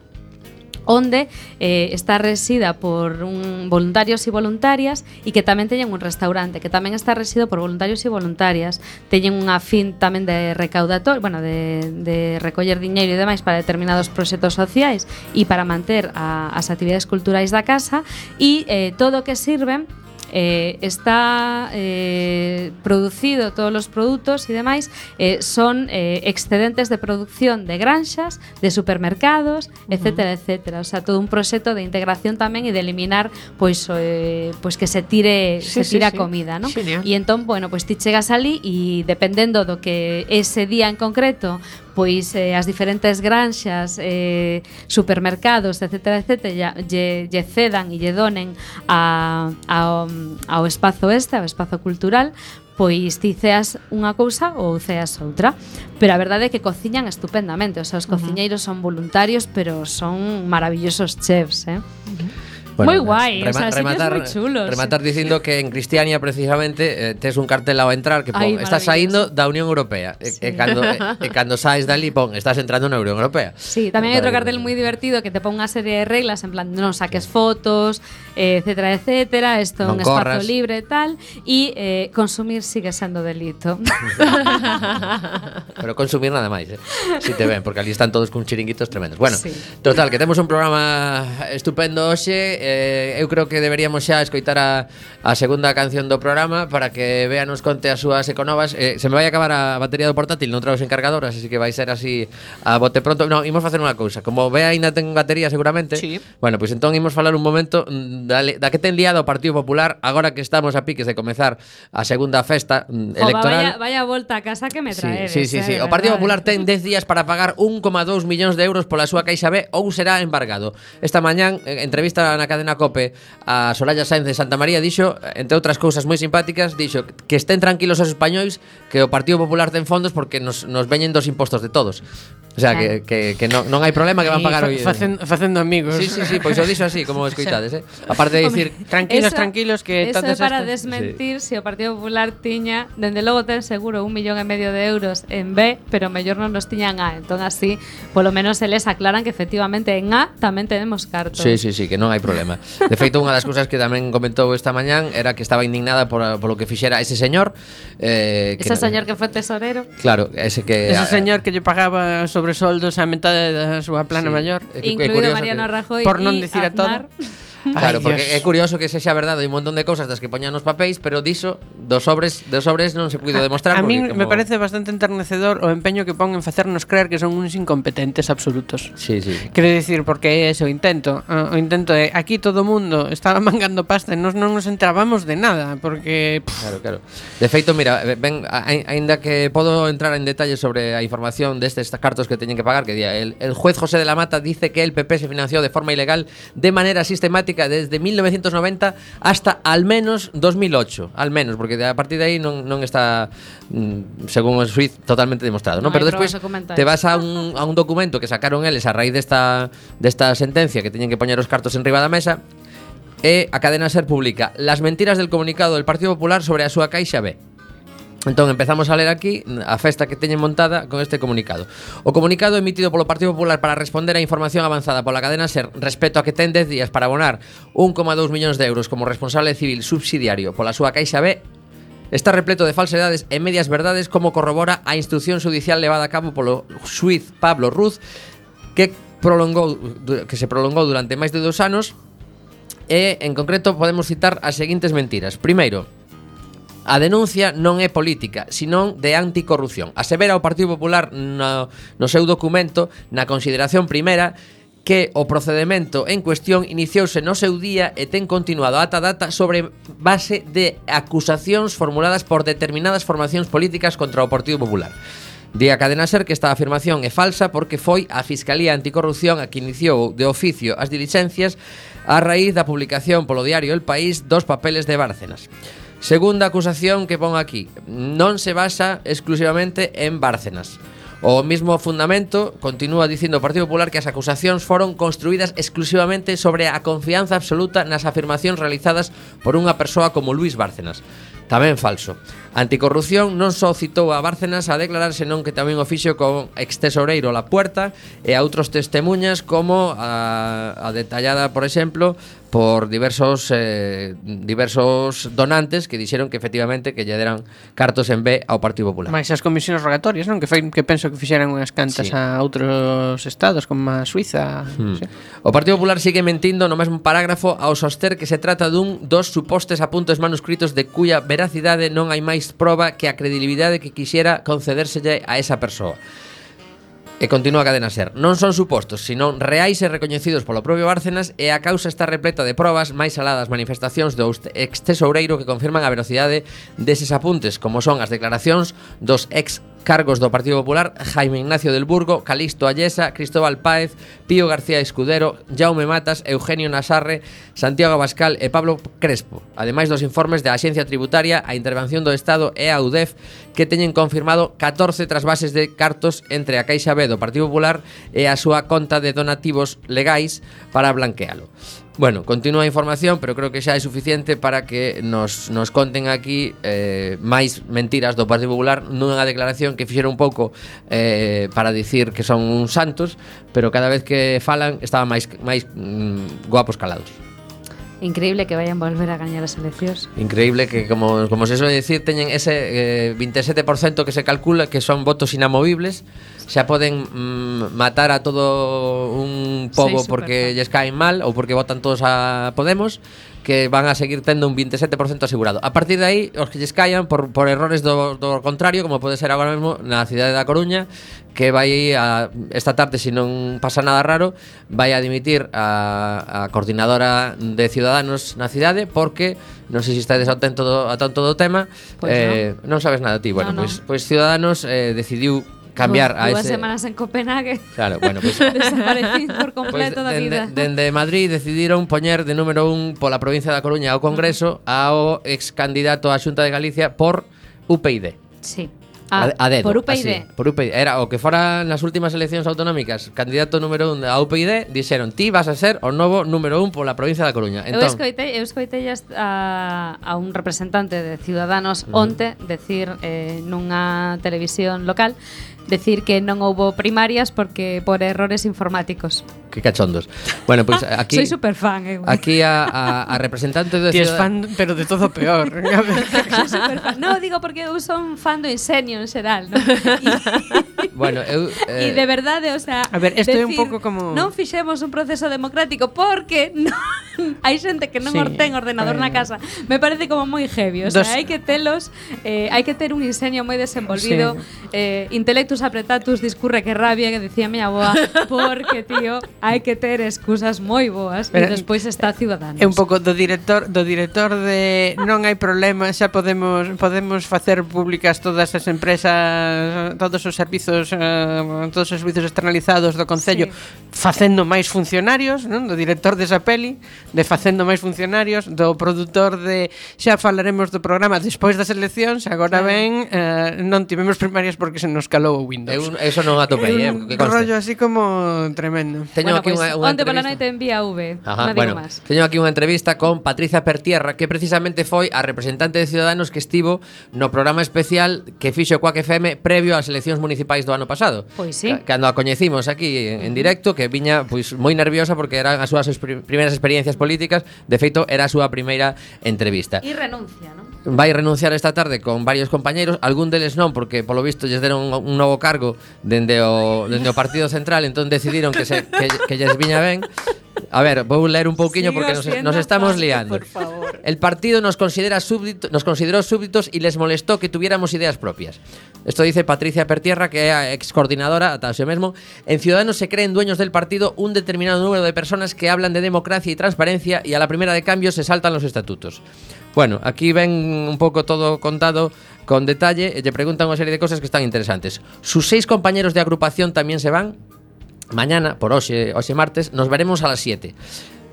S6: onde eh, está resida por un voluntarios e voluntarias e que tamén teñen un restaurante que tamén está resido por voluntarios e voluntarias. Teñen unha fin tamén de recaudator, bueno, de, de recoller diñeiro e demais para determinados proxectos sociais e para manter a, as actividades culturais da casa, e eh, todo o que sirven Eh, está eh, producido, todos os produtos e demais eh, son eh, excedentes de producción de granxas, de supermercados, uh-huh. etcétera, etcétera. O sea, todo un proxecto de integración tamén e de eliminar pois, eh, pois que se tire
S3: sí,
S6: se tira
S3: sí, sí.
S6: comida, ¿no?
S3: Genial.
S6: E entón, bueno, pois ti chegas ali e dependendo do que ese día en concreto pois eh, as diferentes granxas, eh, supermercados, etcétera, etcétera, lle, lle cedan e lle donen a, a, ao espazo este, ao espazo cultural, pois ti ceas unha cousa ou ceas outra. Pero a verdade é que cociñan estupendamente, o sea, os cociñeiros son voluntarios, pero son maravillosos chefs, eh? Uh-huh.
S2: Bueno,
S6: moi guai,
S2: rema,
S6: o sea,
S2: rematar,
S6: moi chulos.
S2: Rematar dicindo que en Cristiania precisamente eh, tes un cartel ao entrar que pon,
S6: Ay,
S2: estás saindo da Unión Europea, sí. e, e cando e, e cando saes dali pon, estás entrando na Unión Europea.
S6: Sí, tamén hai outro cartel moi divertido que te pon unha serie de reglas en plan non saques fotos, eh, etcétera, etcétera, isto é un espazo libre e tal, e eh, consumir sigue sendo delito.
S2: Pero consumir nada máis, eh. Si te ven, porque ali están todos con chiringuitos tremendos. Bueno, sí. Total, que temos un programa estupendo hoxe. Eh, eu creo que deberíamos xa escoitar a, a segunda canción do programa para que Bea nos conte as súas econovas. Eh, se me vai acabar a batería do portátil, non trago os encargadoras, así que vai ser así a bote pronto. Non, imos facer unha cousa. Como Bea ainda ten batería seguramente,
S3: sí.
S2: Bueno, pois pues entón imos falar un momento da, da que ten liado o Partido Popular agora que estamos a piques de comezar a segunda festa mm, electoral.
S6: Vaya, vaya volta a casa que me traedes.
S2: Sí, sí, sí, sí.
S6: Eh,
S2: O Partido Popular ten dez días para pagar un coma dous millóns de euros pola súa Caixa B ou será embargado. Esta mañán, eh, entrevista na cadena COPE a Soraya Sáenz de Santa María, dixo, entre outras cousas moi simpáticas, dixo que estén tranquilos os españois, que o Partido Popular ten fondos porque nos, nos veñen dos impostos de todos. O sea, claro. que, que, que non, non hai problema que van pagar hoy.
S4: Facendo, facendo amigos.
S2: Sí, sí, sí, pois o dixo así, como escoitades, eh? Aparte de dicir,
S4: tranquilos,
S6: eso,
S4: tranquilos, que
S6: eso é para
S4: estas...
S6: desmentir sí. Se o Partido Popular tiña, dende logo ten seguro un millón e medio de euros en B, pero mellor non nos tiñan A. Entón así, polo menos eles aclaran que efectivamente en A tamén tenemos cartos.
S2: Sí, sí, sí, que non hai problema. De feito, unha das cousas que tamén comentou esta mañán era que estaba indignada por, por lo que fixera ese señor. Eh,
S6: ese que, señor que foi tesorero.
S2: Claro, ese que...
S4: Ese señor que lle pagaba sobresoldos a metade da súa plana sí. maior.
S6: Incluído Mariano Rajoy
S4: por non dicir a todo.
S2: Claro,
S4: Ai,
S2: porque
S4: Dios.
S2: é curioso que sexa verdade un montón de cousas das que poñan nos papéis, pero diso dos sobres, dos sobres non se puido demostrar.
S4: A mí
S2: porque
S4: me
S2: como...
S4: parece bastante enternecedor o empeño que pon en facernos creer que son uns incompetentes absolutos.
S2: Sí, sí.
S4: Quero dicir, porque é ese o intento. O intento é, aquí todo o mundo estaba mangando pasta e nos non nos enterábamos de nada, porque... Pff,
S2: Claro, claro. De feito, mira, ven, aínda que podo entrar en detalle sobre a información destes cartos que teñen que pagar, que día, el, el juez José de la Mata dice que el P P se financió de forma ilegal de manera sistemática desde mil novecientos noventa hasta al menos dos mil ocho, al menos, porque a partir de aí non, non está, según o xuiz, totalmente demostrado, ¿no?
S6: Non hai
S2: Pero despois
S6: probas documentais.
S2: te vas a un, a un documento que sacaron eles a raíz desta, desta sentencia que teñen que poñer os cartos en riba da mesa. E a cadena SER publica las mentiras del comunicado del Partido Popular sobre a súa Caixa B. Entón empezamos a ler aquí a festa que teñen montada con este comunicado. O comunicado emitido polo Partido Popular para responder a información avanzada pola cadena SER respecto a que ten dez días para abonar un coma dous millóns de euros como responsable civil subsidiario pola súa Caixa B está repleto de falsedades e medias verdades, como corrobora a instrucción judicial levada a cabo polo xuiz Pablo Ruz, que prolongou que se prolongou durante máis de dous anos. E, en concreto, podemos citar as seguintes mentiras. Primeiro, a denuncia non é política, senón de anticorrupción. Asevera o Partido Popular no, no seu documento, na consideración primeira, que o procedemento en cuestión iniciouse no seu día e ten continuado ata data sobre base de acusacións formuladas por determinadas formacións políticas contra o Partido Popular. Di a cadena SER que esta afirmación é falsa porque foi a Fiscalía Anticorrupción a que iniciou de oficio as diligencias a raíz da publicación polo diario El País dos papeles de Bárcenas. Segunda acusación que pon aquí, non se basa exclusivamente en Bárcenas. O mismo fundamento continúa dicindo o Partido Popular que as acusacións foron construídas exclusivamente sobre a confianza absoluta nas afirmacións realizadas por unha persoa como Luis Bárcenas. Tamén falso. Anticorrupción non só citou a Bárcenas a declarar, senón que tamén o fixo con ex-tesoureiro La Puerta e a outros testemunhas, como a, a detallada, por exemplo, por diversos eh, diversos donantes que dixeron que efectivamente que lle deran cartos en B ao Partido Popular.
S4: máis as comisións rogatorias, non? Que, fai, que penso que fixeran unhas cantas
S2: Sí.
S4: a outros estados, como a Suiza.
S2: Hmm.
S4: Sí.
S2: O Partido Popular sigue mentindo no mesmo parágrafo ao soster que se trata dun dos supostos apuntes manuscritos de cuya veracidade non hai máis proba que a credibilidade que quixera concedérselle a esa persoa. E continúa a cadena SER. Non son supostos, senón reais e recoñecidos polo propio Bárcenas, e a causa está repleta de probas máis alá das manifestacións do ex-tesoureiro que confirman a velocidade deses apuntes, como son as declaracións dos ex cargos do Partido Popular Jaime Ignacio del Burgo, Calixto Allesa, Cristóbal Páez, Pío García Escudero, Jaume Matas, Eugenio Nasarre, Santiago Abascal e Pablo Crespo, ademais dos informes da Axencia Tributaria, a Intervención do Estado e a U D E F, que teñen confirmado catorce trasvases de cartos entre a Caixa B do Partido Popular e a súa conta de donativos legais para blanquealo. Bueno, continúa a información, pero creo que xa é suficiente para que nos, nos conten aquí eh, máis mentiras do Partido Popular nunha declaración que fixeron un pouco eh, para dicir que son uns santos, pero cada vez que falan estaban máis, máis mm, guapos calados.
S6: Increíble que vayan volver a gañar as eleccións.
S2: Increíble que, como, como se suele decir, teñen ese eh, veintisiete por ciento que se calcula que son votos inamovibles. Xa poden mm, matar a todo un pobo
S6: Sí,
S2: porque
S6: superfan.
S2: lles caen mal ou porque votan todos a Podemos, que van a seguir tendo un veintisiete por ciento asegurado. A partir de aí, os que lles caian por, por errores do, do contrario, como pode ser agora mesmo na cidade da Coruña, que vai a, esta tarde, se non pasa nada raro, vai a dimitir a, a coordinadora de Ciudadanos na cidade, porque non sei se estades atento do, a tanto do tema.
S6: Pois
S2: eh, non. non sabes nada ti. Bueno,
S6: No, no.
S2: pois, pois Ciudadanos eh, decidiu cambiar a
S6: Dúas
S2: ese...
S6: semanas en Copenhague.
S2: Claro, bueno, pois...
S6: Desaparecí por
S2: Pois
S6: completo da vida.
S2: dende, dende Madrid decidiron poñer de número un pola provincia da Coruña ao Congreso ao ex candidato á Xunta de Galicia por U P I D.
S6: Sí.
S2: A, a dedo,
S6: por U P I D.
S2: así, por U P I D. Era o que fora nas últimas eleccións autonómicas candidato número un a U P I D, dixeron ti vas a ser o novo número un pola provincia da Coruña.
S6: Eu
S2: Entón,
S6: escoitei, eu escoitei a, a un representante de Ciudadanos onte decir eh, nunha televisión local decir que non houbo primarias porque por errores informáticos.
S2: que cachondos. Bueno, pois pues, aquí
S6: Soy super fan, eh.
S2: aquí a, a, a representante de
S4: Ti es
S2: Ciudad-
S4: fan, pero de todo peor.
S6: Soy super fan. No, digo porque eu son fan do Ingenio en xeral, ¿no? E,
S2: Bueno, eu
S6: e
S2: eh,
S6: de verdade, o sea,
S4: A ver, esto é un
S6: decir,
S4: pouco como-
S6: non fixemos un proceso democrático porque non, hai xente que non
S4: Sí,
S6: sí, ten ordenador
S4: bueno.
S6: na casa. Me parece como moi heavy, o
S4: Dos-
S6: sea, hai que telos, eh, hai que ter un ingenio moi desenvolvido,
S4: Sí.
S6: eh, intellectus apretatus discurre que rabia, que decía mi aboa, porque, tío, hai que ter excusas moi boas. E
S4: Pero-
S6: despois está Ciudadanos.
S4: É un pouco do director do director de non hai problema, xa podemos podemos facer públicas todas as empresas, todos os servizos, eh, todos os servizos externalizados do concello,
S6: Sí.
S4: facendo máis funcionarios, non? Do director desa peli, de facendo máis funcionarios, do produtor de xa falaremos do programa despois das eleccións, agora
S6: Claro.
S4: ben, eh, non tivemos primarias porque se nos calou o Windows.
S2: Eu, eso non atopei, eh,
S4: un
S2: que conste.
S4: rollo así como tremendo.
S2: Teño
S6: Bueno,
S2: aquí
S6: pues,
S2: unha, unha
S6: onte pola
S2: entrevista.
S6: noite envía V,
S2: Ajá,
S6: non digo
S2: bueno,
S6: máis.
S2: teño aquí unha entrevista con Patricia Pertierra, que precisamente foi a representante de Ciudadanos que estivo no programa especial que fixo Quack F M previo ás eleccións municipais do ano pasado.
S6: Pois sí.
S2: Ca- Cando a coñecimos aquí en, en directo, que viña pois moi nerviosa porque eran as súas esper- primeiras experiencias políticas, de feito era a súa primeira entrevista.
S6: E renuncia, non?
S2: Vai renunciar esta tarde con varios compañeiros, algún deles non, porque polo visto lles deron un, un novo cargo dende o, dende o Partido Central, entón decidiron que, se, que, que lles viña ben. A ver, vou ler un pouquiño
S6: Sigo
S2: porque nos,
S6: siendo
S2: nos estamos
S6: fan,
S2: liando.
S6: por favor.
S2: El partido nos considera súbdito, nos consideró súbditos y les molestó que tuviéramos ideas propias. Esto dice Patricia Pertierra, que é a ex coordinadora, ata o mesmo. En Ciudadanos se creen dueños del partido un determinado número de personas que hablan de democracia y transparencia y a la primera de cambio se saltan los estatutos. Bueno, aquí ven un pouco todo contado con detalle e lle preguntan unha serie de cosas que están interesantes. Sus seis compañeros de agrupación también se van. Mañana, por hoxe, hoxe martes, nos veremos a las siete.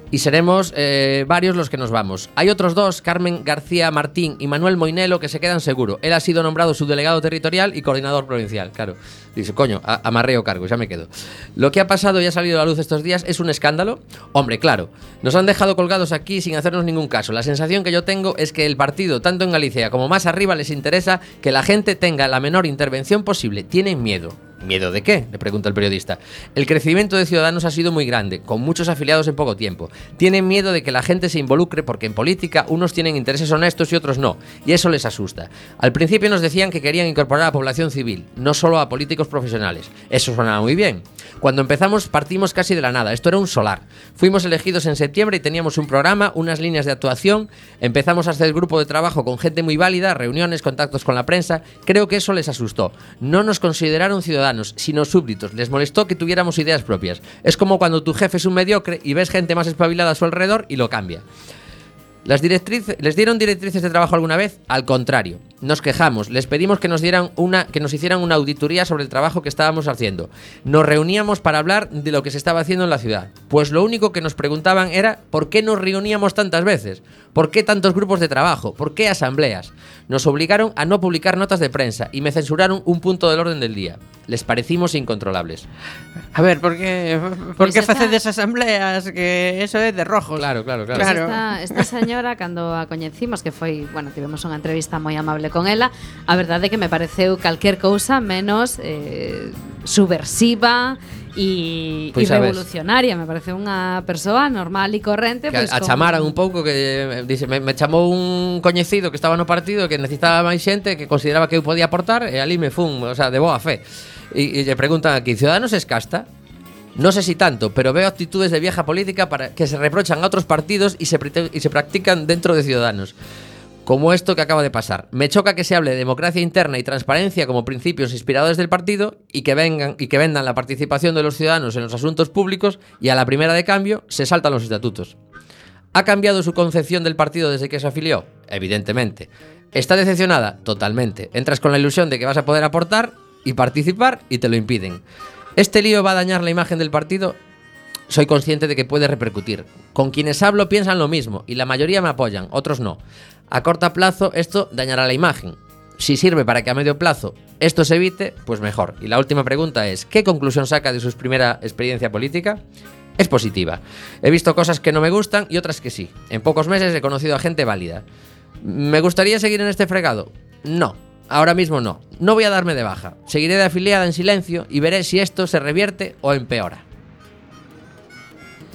S2: Y seremos eh, varios los que nos vamos. Hay otros dos, Carmen García Martín y Manuel Moinelo, que se quedan seguro. Él ha sido nombrado subdelegado territorial y coordinador provincial. Claro, dice, coño, a- amarreo cargo, ya me quedo. Lo que ha pasado y ha salido a la luz estos días es un escándalo. Hombre, claro, nos han dejado colgados aquí sin hacernos ningún caso. La sensación que yo tengo es que el partido, tanto en Galicia como más arriba, les interesa que la gente tenga la menor intervención posible. Tienen miedo. ¿Miedo de qué?, le pregunta el periodista. El crecimiento de Ciudadanos ha sido muy grande, con muchos afiliados en poco tiempo. Tienen miedo de que la gente se involucre porque en política unos tienen intereses honestos y otros no, y eso les asusta. Al principio nos decían que querían incorporar a población civil, no solo a políticos profesionales. Eso sonaba muy bien. Cuando empezamos partimos casi de la nada, esto era un solar. Fuimos elegidos en septiembre y teníamos un programa, unas líneas de actuación, empezamos a hacer grupo de trabajo con gente muy válida, reuniones, contactos con la prensa. Creo que eso les asustó. No nos consideraron ciudadanos, sino súbditos. Les molestó que tuviéramos ideas propias. Es como cuando tu jefe es un mediocre y ves gente más espabilada a su alrededor y lo cambia. Las directrices, ¿Les dieron directrices de trabajo alguna vez? Al contrario, nos quejamos, les pedimos que nos dieran una, que nos hicieran una auditoría sobre el trabajo que estábamos haciendo. Nos reuníamos para hablar de lo que se estaba haciendo en la ciudad. Pues lo único que nos preguntaban era ¿por qué nos reuníamos tantas veces? ¿Por qué tantos grupos de trabajo? ¿Por qué asambleas? Nos obligaron a no publicar notas de prensa y me censuraron un punto del orden del día. Les parecimos incontrolables.
S4: A ver, por que por
S6: Pois
S4: que
S6: esa-
S4: facedes asambleas que eso é de rojos?
S2: Claro, claro, claro.
S6: Pues
S4: Claro.
S6: esta, esta señora, cando a coñecimos, que foi, bueno, tivemos unha entrevista moi amable con ela, a verdade é que me pareceu calquer cousa menos eh, subversiva e,
S2: Pois
S6: e
S2: a ves.
S6: revolucionaria. Me pareceu unha persoa normal e corrente.
S2: Que
S6: Pois,
S2: a
S6: con-
S2: chamaran un pouco que eh, dice, me, me chamou un coñecido que estaba no partido que necesitaba máis xente que consideraba que eu podía aportar e ali me fun, o sea, de boa fe. E, e lle preguntan aquí, Ciudadanos es casta? No sé si tanto, pero veo actitudes de vieja política para que se reprochan a otros partidos y se, prite- y se practican dentro de Ciudadanos. Como esto que acaba de pasar. Me choca que se hable de democracia interna y transparencia como principios inspiradores del partido y que vengan y que vendan la participación de los ciudadanos en los asuntos públicos y a la primera de cambio se saltan los estatutos. ¿Ha cambiado su concepción del partido desde que se afilió? Evidentemente. ¿Está decepcionada? Totalmente. Entras con la ilusión de que vas a poder aportar y participar y te lo impiden. ¿Este lío va a dañar la imagen del partido? Soy consciente de que puede repercutir. Con quienes hablo piensan lo mismo y la mayoría me apoyan, otros no. A corto plazo esto dañará la imagen. Si sirve para que a medio plazo esto se evite, pues mejor. Y la última pregunta es, ¿qué conclusión saca de su primera experiencia política? Es positiva. He visto cosas que no me gustan y otras que sí. En pocos meses he conocido a gente válida. ¿Me gustaría seguir en este fregado? No. Ahora mismo no. No voy a darme de baja. Seguiré de afiliada en silencio y veré si esto se revierte o empeora.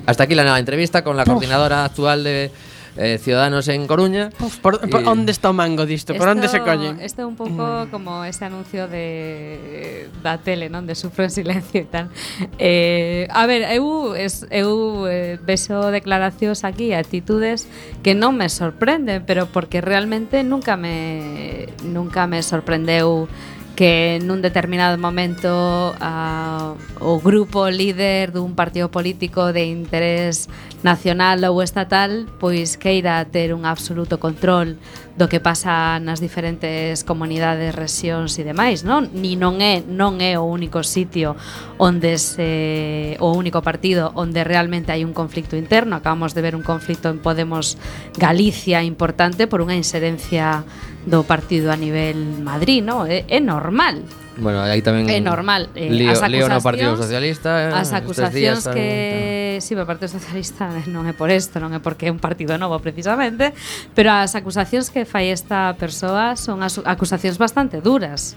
S2: Hasta aquí la nueva entrevista con la coordinadora actual de eh, Ciudadanos en Coruña.
S4: Uf, por, por,
S2: Y-
S4: onde está o mango disto? Por onde se colle?
S6: Isto é un pouco mm. como ese anuncio de da tele, non? De sufro en silencio e tal. Eh, a ver, eu es, eu eh, vexo declaracións aquí, actitudes que non me sorprenden, pero porque realmente nunca me nunca me sorprendeu que nun determinado momento uh, o grupo líder dun partido político de interés nacional ou estatal pois queira ter un absoluto control do que pasa nas diferentes comunidades, rexións e demais, non? Ni non é non é o único sitio onde se o único partido onde realmente hai un conflicto interno. Acabamos de ver un conflicto en Podemos Galicia importante por unha inserencia do partido a nivel Madrid, non? É, é normal.
S2: Bueno, aí tamén
S6: É normal. Eh,
S2: lío,
S6: as
S2: lío no
S6: acusacións-
S2: Partido Socialista. eh,
S6: As
S2: estes
S6: acusacións
S2: días
S6: que si, sí, o Partido Socialista non é por isto, non é porque é un partido novo precisamente, pero as acusacións que fai esta persoa son as acusacións bastante duras.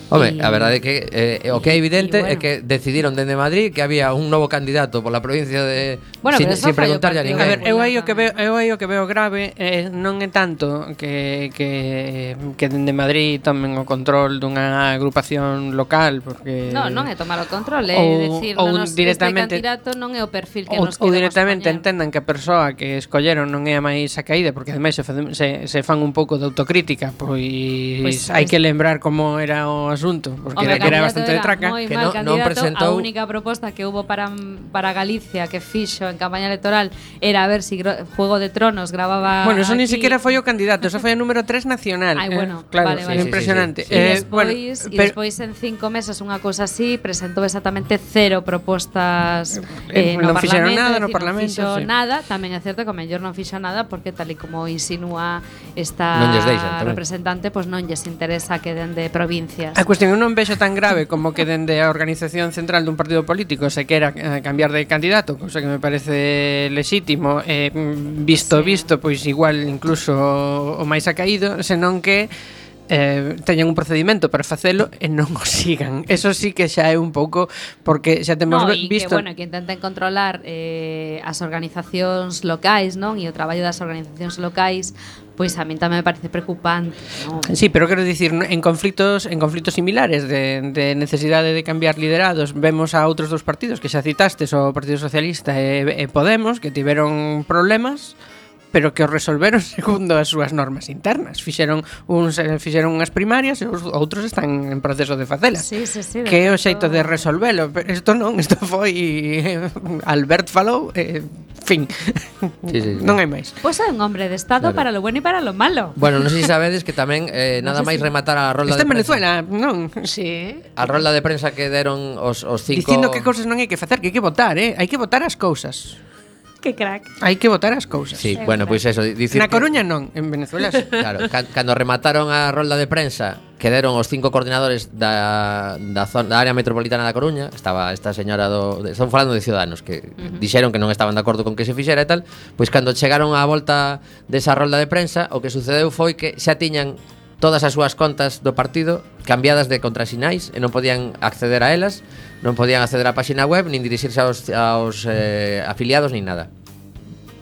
S2: Home,
S6: E-
S2: a verdade é que eh, o que é evidente
S6: e, bueno.
S2: é que decidiron dende Madrid que había un novo candidato pola provincia de
S6: Bueno,
S2: sin,
S6: pero eso
S2: sin
S6: fai o
S2: preguntarlle a
S6: partido.
S2: ninguén.
S4: A ver, eu aí o que veo,
S6: tamén.
S4: eu aí o que veo grave eh, non é tanto que, que, que dende Madrid tomen o control dunha agrupación local, porque
S6: No, non é tomar o control, é
S4: ou-
S6: decir,
S4: ou
S6: non nos,
S4: directamente-
S6: este candidato non é o perfil que
S4: ou,
S6: nos
S4: ou
S6: queremos
S4: directamente
S6: poñer.
S4: entendan que a persoa que escolleron non é a máis acaída, porque ademais se, fa- se, se fan un pouco de autocrítica, pois,
S6: Pois,
S4: hai
S6: pois-
S4: que lembrar como era o asunto, porque
S6: Home,
S4: era, que era
S6: candidato
S4: bastante de traca.
S6: moi
S2: que
S6: mal
S2: non- non
S6: candidato.
S2: presentou-
S6: A única proposta que hubo para, para Galicia que fixo en campaña electoral era a ver si Gro- Juego de Tronos grababa
S4: Bueno, eso ni
S6: aquí.
S4: siquiera foi o candidato, eso foi o número tres nacional.
S6: Ai,
S4: eh,
S6: bueno,
S4: claro,
S6: vale,
S2: Sí,
S6: vale.
S2: sí,
S4: impresionante.
S2: sí, sí.
S6: E
S4: Eh,
S6: despois,
S4: bueno,
S6: e
S4: pero-
S6: despois en cinco meses unha cousa así presentou exactamente cero propostas
S4: Eh,
S6: eh,
S4: non
S6: no
S4: fixeron
S6: Parlamento,
S4: nada
S6: é
S4: no
S6: dicir,
S4: Parlamento,
S6: non fixo
S4: sí.
S6: nada, tamén é certo que o mellor non fixo nada porque tal e como insinúa esta
S2: Non lles deixan, tamén.
S6: representante, pois non lles interesa que den de provincias.
S4: A cuestión eu non vexo tan grave como que dende a organización central dun partido político se quera eh, cambiar de candidato, cousa que me parece lexítimo, eh, mm, visto
S6: Sí.
S4: visto, pois igual incluso o máis acaído, senón que eh, teñan un procedimento para facelo e non o sigan. Eso sí que xa é un pouco porque xa temos
S6: No,
S4: ve-
S6: e
S4: visto
S6: que, bueno, que intenten controlar eh, as organizacións locais, non? E o traballo das organizacións locais, pois a min tamén me parece preocupante, non?
S4: Sí, pero quero dicir, en conflitos en conflitos similares de, de necesidade de cambiar liderados, vemos a outros dos partidos que xa citastes, o Partido Socialista e, e Podemos, que tiveron problemas, pero que os resolveron segundo as súas normas internas. Fixeron uns eh, fixeron unhas primarias e os outros están en proceso de facelas.
S6: Sí, sí, sí. de
S4: Que é o xeito
S6: feito-
S4: de resolvelo, pero isto non, isto foi eh, Albert falou, eh, fin.
S2: Sí, sí, sí.
S4: Non hai máis.
S6: Pois é un hombre de estado
S2: Claro.
S6: para lo bueno e para lo malo.
S2: Bueno, non sei se sabedes que tamén eh, nada máis rematar a rolda
S4: Está
S2: de
S4: en
S2: prensa.
S4: Venezuela, non?
S6: Sí.
S2: A rolda de prensa que deron os, os cinco...
S4: Dicindo que cousas non hai que facer, que hai que votar, eh? Hai que votar as cousas.
S6: Que crack.
S4: Hai que votar as cousas.
S2: Sí, bueno, pois eso, dicir
S4: Na
S2: que-
S4: Coruña non, en Venezuela sí.
S2: Claro, can, cando remataron a rolda de prensa que deron os cinco coordinadores da, da, zona, da área metropolitana da Coruña, estaba esta señora do... De, estamos falando de Ciudadanos, que uh-huh. dixeron que non estaban de acordo con que se fixera e tal, pois cando chegaron á volta desa rolda de prensa, o que sucedeu foi que xa tiñan todas as súas contas do partido cambiadas de contrasinais e non podían acceder a elas, non podían acceder á páxina web, nin dirixirse aos, aos eh, afiliados, nin nada.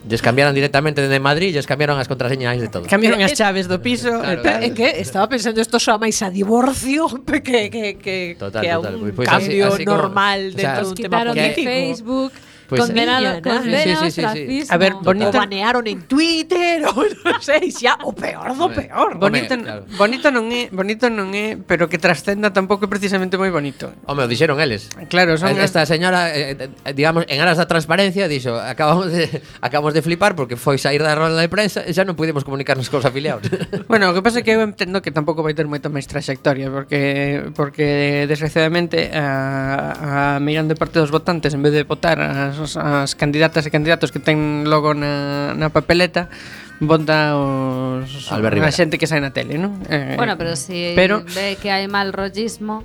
S2: Lles cambiaron directamente dende Madrid, lles cambiaron as contraseñas de todo.
S4: Cambiaron as chaves do piso
S2: Claro,
S4: e tal.
S3: É que estaba pensando isto xa máis a divorcio que, que, que,
S2: Total,
S3: que a
S2: total.
S3: un
S2: Pois así-
S3: cambio
S2: así como-
S3: normal
S2: o sea,
S3: dentro
S6: Os
S3: dun tema
S6: quitaron de
S3: político.
S6: Facebook,
S2: Pois
S6: condenado,
S3: sí.
S6: condena
S2: Sí, sí,
S6: ao
S2: sí, sí.
S6: ostracismo.
S4: A ver,
S3: O
S4: bonito-
S3: banearon en Twitter ou non sei, xa o peor do
S2: Hombre,
S3: peor.
S4: Bonito,
S2: Home, claro.
S4: bonito non é, bonito non é, pero que trascenda tampouco é precisamente moi bonito.
S2: Home, o dixeron eles.
S4: Claro, son as-
S2: Esta señora, eh, eh, digamos, en aras da transparencia, dixo, acabamos de acabamos de flipar porque foi sair da rolda de prensa e xa non pudimos comunicarnos cos afiliados.
S4: Bueno, o que pasa é que eu entendo que tampouco vai ter moita máis traxectoria porque porque desgraciadamente a, a mirando de parte dos votantes en vez de votar as, as candidatas e candidatos que ten logo na, na papeleta vota os
S2: Albert
S4: a
S2: Rivera.
S4: xente que sai na tele, non? Eh,
S6: Bueno, pero si
S4: pero-
S6: ve que hai mal rollismo,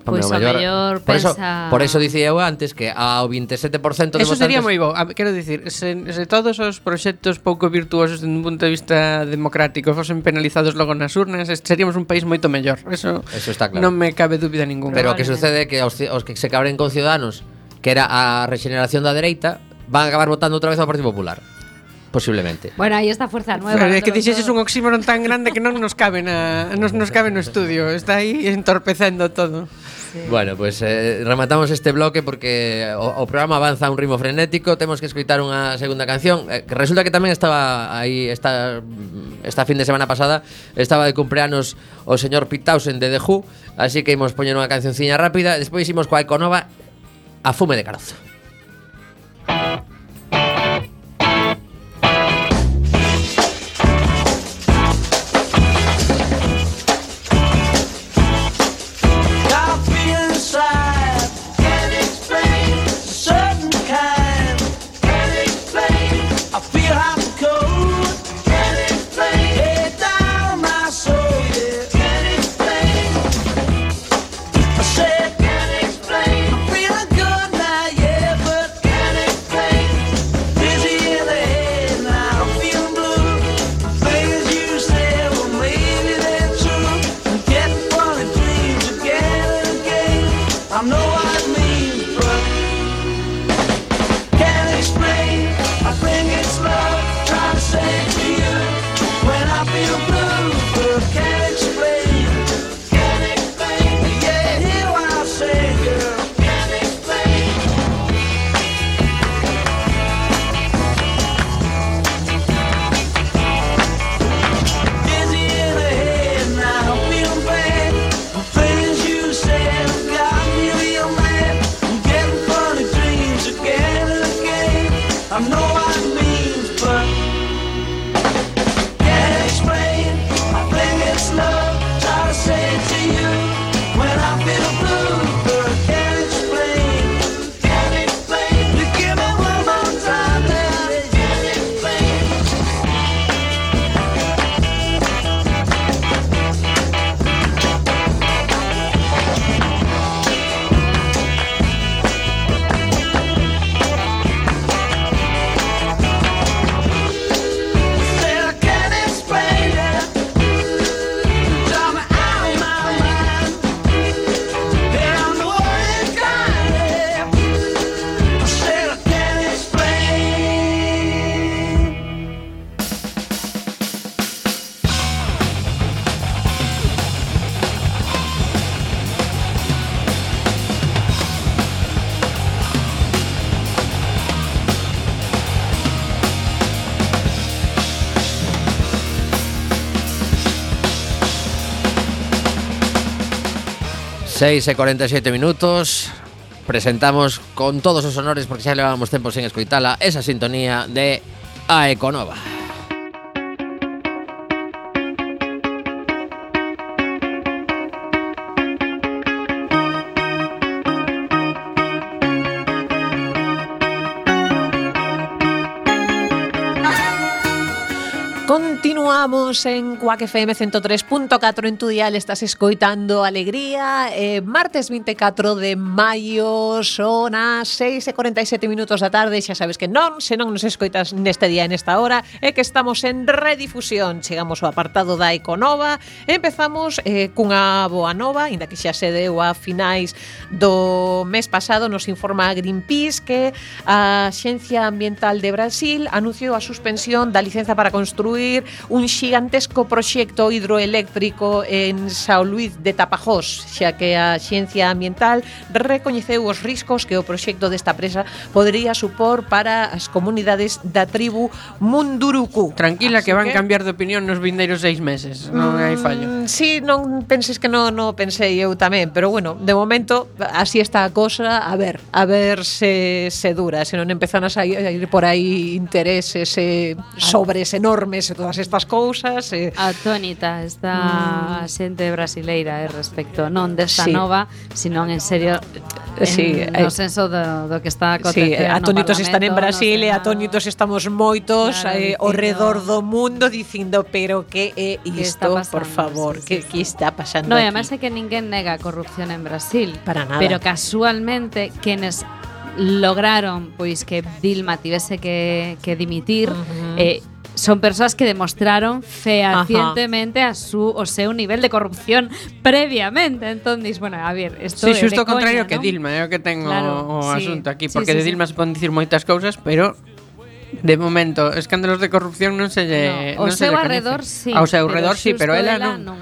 S2: Home,
S6: pois
S2: o
S6: o
S2: mellor-
S6: mellor
S2: por eso,
S6: pensa...
S2: por eso dicía eu antes que ao veintisiete por ciento de
S4: Eso
S2: votantes
S4: sería moi bo. A, quero dicir, se, se todos os proxectos pouco virtuosos dun punto de vista democrático fosen penalizados logo nas urnas, es- seríamos un país moito mellor. Eso,
S2: Eso está claro.
S4: non me cabe dúbida ninguna.
S2: Pero o que sucede é que os, ci- os que se cabren con Ciudadanos, que era a regeneración da dereita, van a acabar votando outra vez ao Partido Popular. posiblemente.
S6: Bueno, aí está Fuerza Nueva.
S4: Pero é que
S6: dentro de
S4: dixeches
S6: todo.
S4: un oxímoron tan grande que non nos cabe na, nos, nos cabe no estudio. Está aí entorpecendo todo.
S6: Sí.
S2: Bueno, pues eh, rematamos este bloque porque o, o programa avanza a un ritmo frenético. Temos que escoitar unha segunda canción eh, que resulta que tamén estaba aí esta, esta fin de semana pasada estaba de cumpleanos o señor Pete Townshend de The Who. Así que imos poñer unha cancionciña rápida. Despois imos coa Econova a fume de carozo. seis e cuarenta y siete minutos. Presentamos con todos os honores, porque xa levamos tempo sen escoitala, esa sintonía de A Econova.
S3: Continuamos en Quack F M ciento tres punto catro en tu dial. Estás escoitando Alegría. eh, Martes vinte e catro de maio, son as seis e cuarenta y siete minutos da tarde. Xa sabes que non, se non nos escoitas neste día, nesta hora, é que estamos en redifusión. Chegamos ao apartado da Econova. Empezamos eh, cunha boa nova, inda que xa se deu a finais do mes pasado. Nos informa Greenpeace que a Axencia Ambiental de Brasil anunciou a suspensión da licenza para construir un xigantesco proxecto hidroeléctrico en São Luís de Tapajós, xa que a Axencia Ambiental recoñeceu os riscos que o proxecto desta presa podería supor para as comunidades da tribu Munduruku.
S4: Tranquila,
S3: Así
S4: que van cambiar de opinión nos vindeiros seis meses. Non hai fallo.
S3: Sí, non penses que non, non pensei eu tamén, pero bueno, de momento así está a cosa. A ver, a ver se, se dura, se non empezan a sair por aí intereses e sobres enormes e todas estas cousas. E...
S6: Atónita está mm. a xente brasileira eh, respecto non desta
S3: sí.
S6: nova, sino en serio en,
S3: sí,
S6: no
S3: eh,
S6: senso do, do que está acontecendo.
S3: Sí, atónitos están en Brasil
S6: no
S3: e atónitos estamos moitos
S6: claro,
S3: eh, ao redor do mundo dicindo, pero que é isto, por favor,
S6: sí, sí,
S3: que,
S6: sí.
S3: que está pasando
S6: No,
S3: aquí?
S6: e además é que ninguén nega a corrupción en Brasil.
S3: Para nada.
S6: Pero casualmente, quienes lograron pois que Dilma tivese que, que dimitir, uh-huh. eh, son persoas que demostraron fehacientemente a su, o seu nivel de corrupción previamente. Entón, dis, bueno, a ver, esto
S4: Sí,
S6: é
S4: xusto
S6: de
S4: o contrario
S6: coña,
S4: que
S6: ¿no?
S4: Dilma, é o que ten
S6: Claro,
S4: o, o
S6: sí.
S4: asunto aquí,
S6: Sí,
S4: porque
S6: sí,
S4: de
S6: sí.
S4: Dilma se poden dicir moitas cousas, pero De momento, escándalos de corrupción non se lle
S6: No, o
S4: non se
S6: seu
S4: lle
S6: arredor
S4: coñece.
S6: sí,
S4: Ao seu
S6: pero
S4: arredor sí,
S6: xusto
S4: pero ela
S6: ela
S4: non.
S6: non.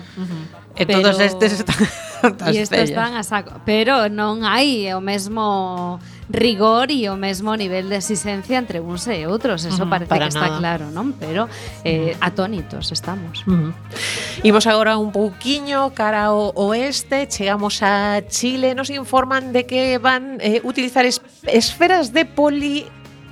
S4: E todos
S6: Pero-
S4: estes están hartas
S6: E estos
S4: cellas.
S6: están a saco. Pero non hai o mesmo rigor e o mesmo nivel de exigencia entre uns e outros. Eso
S3: Ujú,
S6: parece
S3: para
S6: que está
S3: nada.
S6: claro, non? Pero eh, atónitos estamos.
S3: Uh -huh. Imos agora un pouquiño cara ao oeste, chegamos a Chile, nos informan de que van eh, utilizar es esferas de poli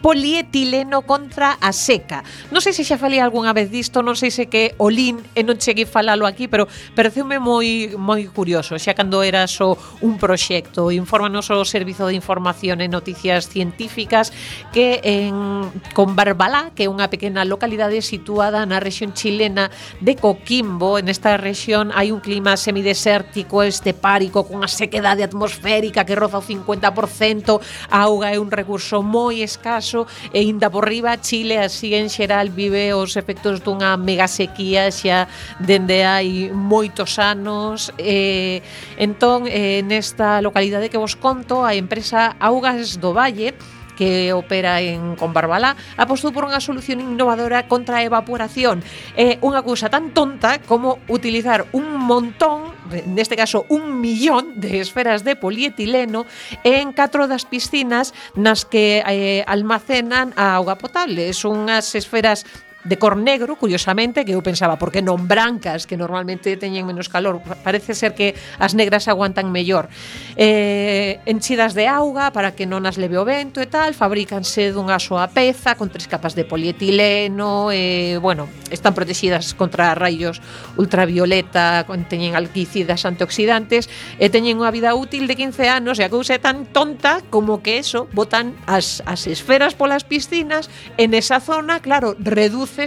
S3: polietileno contra a seca. Non sei se xa falei algunha vez disto, non sei se que o lin e non cheguei falalo aquí, pero pareceume moi moi curioso, xa cando era só un proxecto. Infórmanos o Servizo de Información e Noticias Científicas que en Combarbalá, que é unha pequena localidade situada na rexión chilena de Coquimbo, en esta rexión hai un clima semidesértico, estepárico, cunha sequedade atmosférica que roza o cincuenta por cento, a auga é un recurso moi escaso e inda por riba Chile así en xeral vive os efectos dunha mega sequía xa dende hai moitos anos e entón eh, nesta localidade que vos conto a empresa Augas do Valle que opera en Combarbalá, apostou por unha solución innovadora contra a evaporación. É unha cousa tan tonta como utilizar un montón, neste caso un millón de esferas de polietileno en catro das piscinas nas que eh, almacenan a auga potable. Son unhas esferas de cor negro, curiosamente, que eu pensaba, por que non brancas, que normalmente teñen menos calor? Parece ser que as negras aguantan mellor. Eh, enchidas de auga para que non as leve o vento e tal, fabrícanse dunha soa peza con tres capas de polietileno, e, bueno, están protegidas contra raios ultravioleta, teñen alquicidas antioxidantes, e teñen unha vida útil de quince anos, e a cousa é tan tonta como que eso, botan as, as esferas polas piscinas, en esa zona, claro, reduce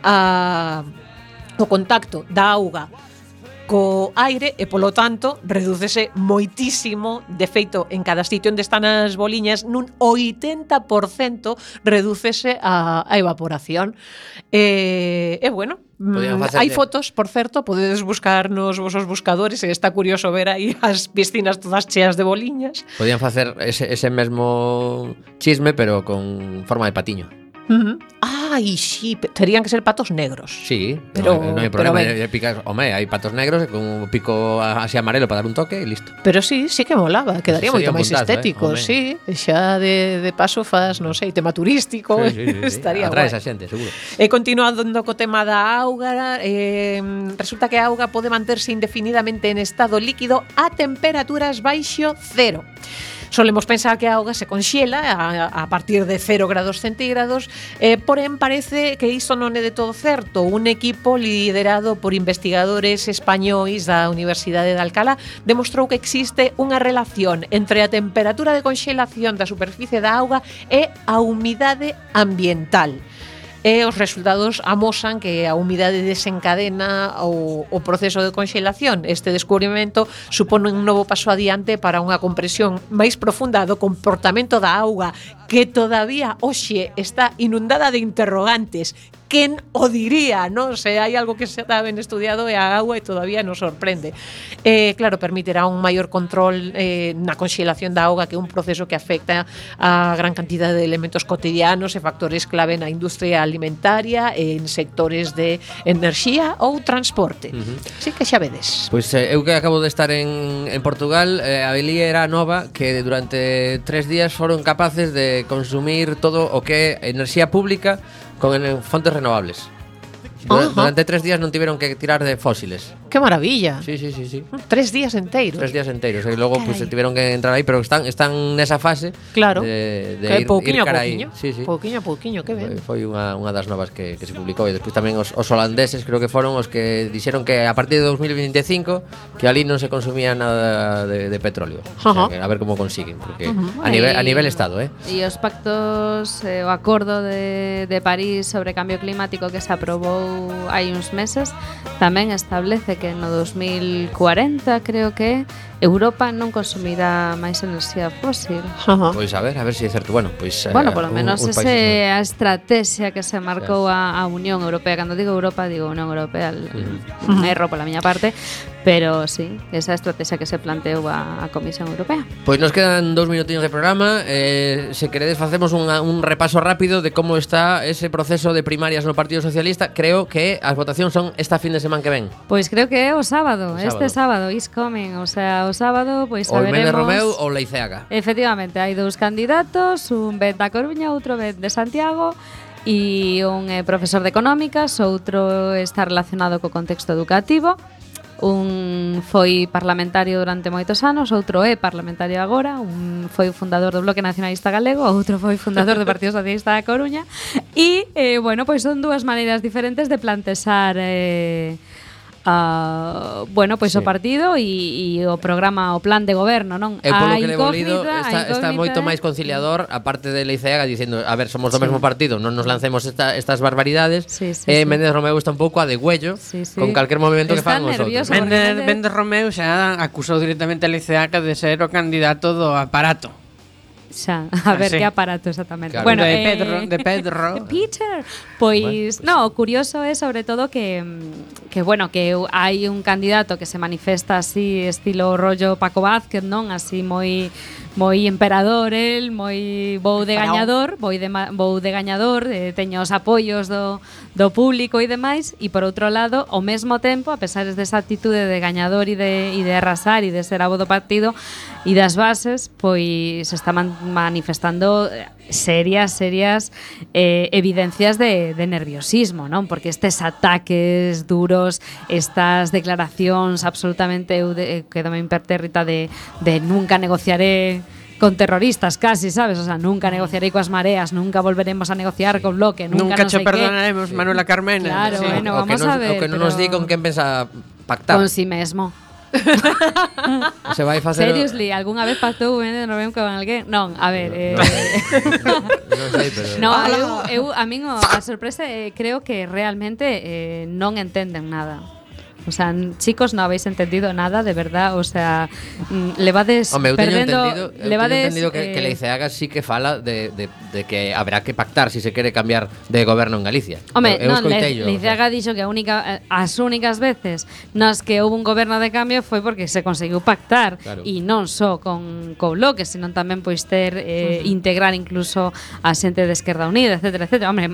S3: a o contacto da auga co aire e polo tanto redúcese moitísimo, de feito en cada sitio onde están as boliñas nun oitenta por cento redúcese a, a evaporación e, e bueno, hai fotos, por certo, podedes buscar nos vosos buscadores e está curioso ver aí as piscinas todas cheas de boliñas.
S2: Podían facer ese, ese mesmo chisme pero con forma de patiño.
S3: Uh -huh. Ai, sí, terían que ser patos negros.
S2: Sí,
S3: pero
S2: no, no hai problema
S3: de
S2: picar, home, hai patos negros con un pico así amarelo para dar un toque e listo.
S3: Pero sí, sí que molaba, quedaría moito máis estético,
S2: eh?
S3: sí, xa de, de paso faz, non sei, tema turístico,
S2: sí, sí, sí,
S3: estaría
S2: atrae
S3: guai.
S2: esa xente, seguro.
S3: E continuando co tema da auga, eh, resulta que a auga pode manterse indefinidamente en estado líquido a temperaturas baixo cero. Solemos pensar que a auga se conxela a, a partir de cero grados centígrados, eh, porén parece que iso non é de todo certo. Un equipo liderado por investigadores españois da Universidade de Alcalá demostrou que existe unha relación entre a temperatura de conxelación da superficie da auga e a humidade ambiental. E os resultados amosan que a humidade desencadena o, o proceso de conxelación. Este descubrimento supone un novo paso adiante para unha compresión máis profunda do comportamento da auga, que todavía hoxe está inundada de interrogantes. Quen o diría, non? Se hai algo que se está ben estudiado é a agua e todavía nos sorprende. Eh, claro, permitirá un maior control eh, na conxelación da auga, que é un proceso que afecta a gran cantidad de elementos cotidianos e factores clave na industria alimentaria, en sectores de enerxía ou transporte. Uh -huh. Así que xa vedes.
S2: Pois eh, eu que acabo de estar en, en Portugal, eh, a Belí era nova que durante tres días foron capaces de consumir todo o que é enerxía pública con fontes renovables. Durante, durante tres días non tiveron que tirar de fósiles.
S3: ¡Qué maravilla!
S2: Sí, sí, sí, sí.
S3: Tres días enteiros.
S2: Tres días enteiros. E logo pues, tiveron que entrar aí, pero están están nesa fase.
S3: Claro.
S2: De, de
S3: que
S2: ir,
S3: pouquiño
S2: ir cara
S3: a pouquiño.
S2: aí. Sí, sí.
S3: Pouquiño a pouquiño, que ben.
S2: Foi unha, unha das novas que, que se publicou. E despois tamén os, os holandeses creo que foron os que dixeron que a partir de dos mil veinticinco que ali non se consumía nada de, de petróleo. O sea, que a ver como consiguen, porque uh -huh. a nivel a nivel estado, eh.
S6: E os pactos, eh, o acordo de, de París sobre cambio climático que se aprobou hai uns meses tamén establece que no dos mil cuarenta, creo que Europa non consumirá máis enerxía fósil.
S3: Ajá.
S2: Pois a ver, a ver se si é certo. Bueno, pois
S6: Bueno, por lo menos esa é
S2: no.
S6: a estrategia que se marcou a, a Unión Europea. Cando digo Europa, digo Unión Europea, uh -huh. erro pola miña parte. Pero sí, esa estrategia que se planteou a, a Comisión Europea.
S2: Pois nos quedan dous minutinhos de programa. eh, Se queredes facemos unha, un repaso rápido de como está ese proceso de primarias no Partido Socialista. Creo que as votacións son esta fin de semana que ven.
S6: Pois creo que é o sábado,
S2: O sábado.
S6: este sábado is coming, o sea, o sábado pois
S2: O
S6: saberemos.
S2: Méndez Romeu ou Leiceaga.
S6: Efectivamente, hai dous candidatos, un ven da Coruña, outro ven de Santiago, e un é profesor de económicas, outro está relacionado co contexto educativo. Un foi parlamentario durante moitos anos, outro é parlamentario agora, un foi o fundador do Bloque Nacionalista Galego, outro foi fundador do Partido Socialista da Coruña. E, eh, bueno, pois son dúas maneiras diferentes de plantexar eh, Uh, bueno, pois
S2: Sí.
S6: o partido e, e o programa, o plan de goberno, non?
S2: Eu polo
S6: A
S2: que levo lido
S6: incógnita- a
S2: está, está
S6: incógnita
S2: moito
S6: é-
S2: máis conciliador, aparte de Leiceaga dicindo, a ver, somos do
S6: Sí.
S2: mesmo partido, non nos lancemos esta, estas barbaridades.
S6: Sí, sí,
S2: E
S6: sí.
S2: Méndez Romeu está un pouco a degüello
S6: Sí, sí.
S2: con calquer movimento que
S6: Está
S2: fan os outros.
S6: nervioso.
S2: ¿no?
S6: Porque
S4: Méndez,
S6: Méndez-
S4: Méndez Romeu xa acusou directamente a Leiceaga de ser o candidato do aparato.
S6: Xa, a ver
S4: sí.
S6: que aparato exactamente.
S2: Claro.
S6: Bueno,
S4: de
S6: eh,
S4: Pedro, de Pedro.
S6: de Peter. Pois, no, o curioso é sobre todo que que bueno, que hai un candidato que se manifesta así estilo rollo Paco Vázquez, non? Así moi moi emperador el, moi vou de
S4: Faraón.
S6: gañador, vou de ma- vou de gañador, eh, teño os apoios do do público e demais, e por outro lado, ao mesmo tempo, a pesar desa actitude de gañador e de e de arrasar e de ser abo do partido e das bases, pois está man manifestando serias, serias eh, evidencias de, de nerviosismo, non? Porque estes ataques duros, estas declaracións absolutamente, eu de, quedome impertérrita de, de nunca negociaré con terroristas casi, sabes? O sea, nunca negociaré coas mareas, nunca volveremos a negociar con Bloque, nunca,
S4: Nunca
S6: non
S4: che
S6: sei qué.
S4: perdonaremos, Manuela Carmena.
S6: Claro,
S4: Sí.
S6: bueno,
S2: o que
S6: vamos
S2: nos,
S6: a ver,
S2: o que non nos
S6: pero-
S2: di con quen pensa pactar.
S6: Con si mesmo.
S2: Se vai facer
S6: Seriously, algunha vez pactou Méndez Romeu con alguén? Non, a ver, eh,
S2: Non sei, pero
S6: no, eu, eu a min o- a sorpresa é creo que realmente eh, non entenden nada. O sea, n- chicos, no habéis entendido nada, de verdad, o sea, mm, levades
S2: Home, eu teño
S6: perdendo,
S2: entendido, eu teño
S6: levades
S2: entendido que,
S6: eh,
S2: que Leiceaga sí que fala de, de, de que habrá que pactar si se quere cambiar de goberno en Galicia.
S6: Home,
S2: eu, eu
S6: non, Le,
S2: escoiteillo,
S6: Leiceaga dixo que a única, eh, as únicas veces nas que houve un goberno de cambio foi porque se conseguiu pactar
S2: Claro.
S6: e non só con co Bloque, senón tamén pois ter eh, integrar incluso a xente de Esquerda Unida, etcétera, etcétera. Hombre,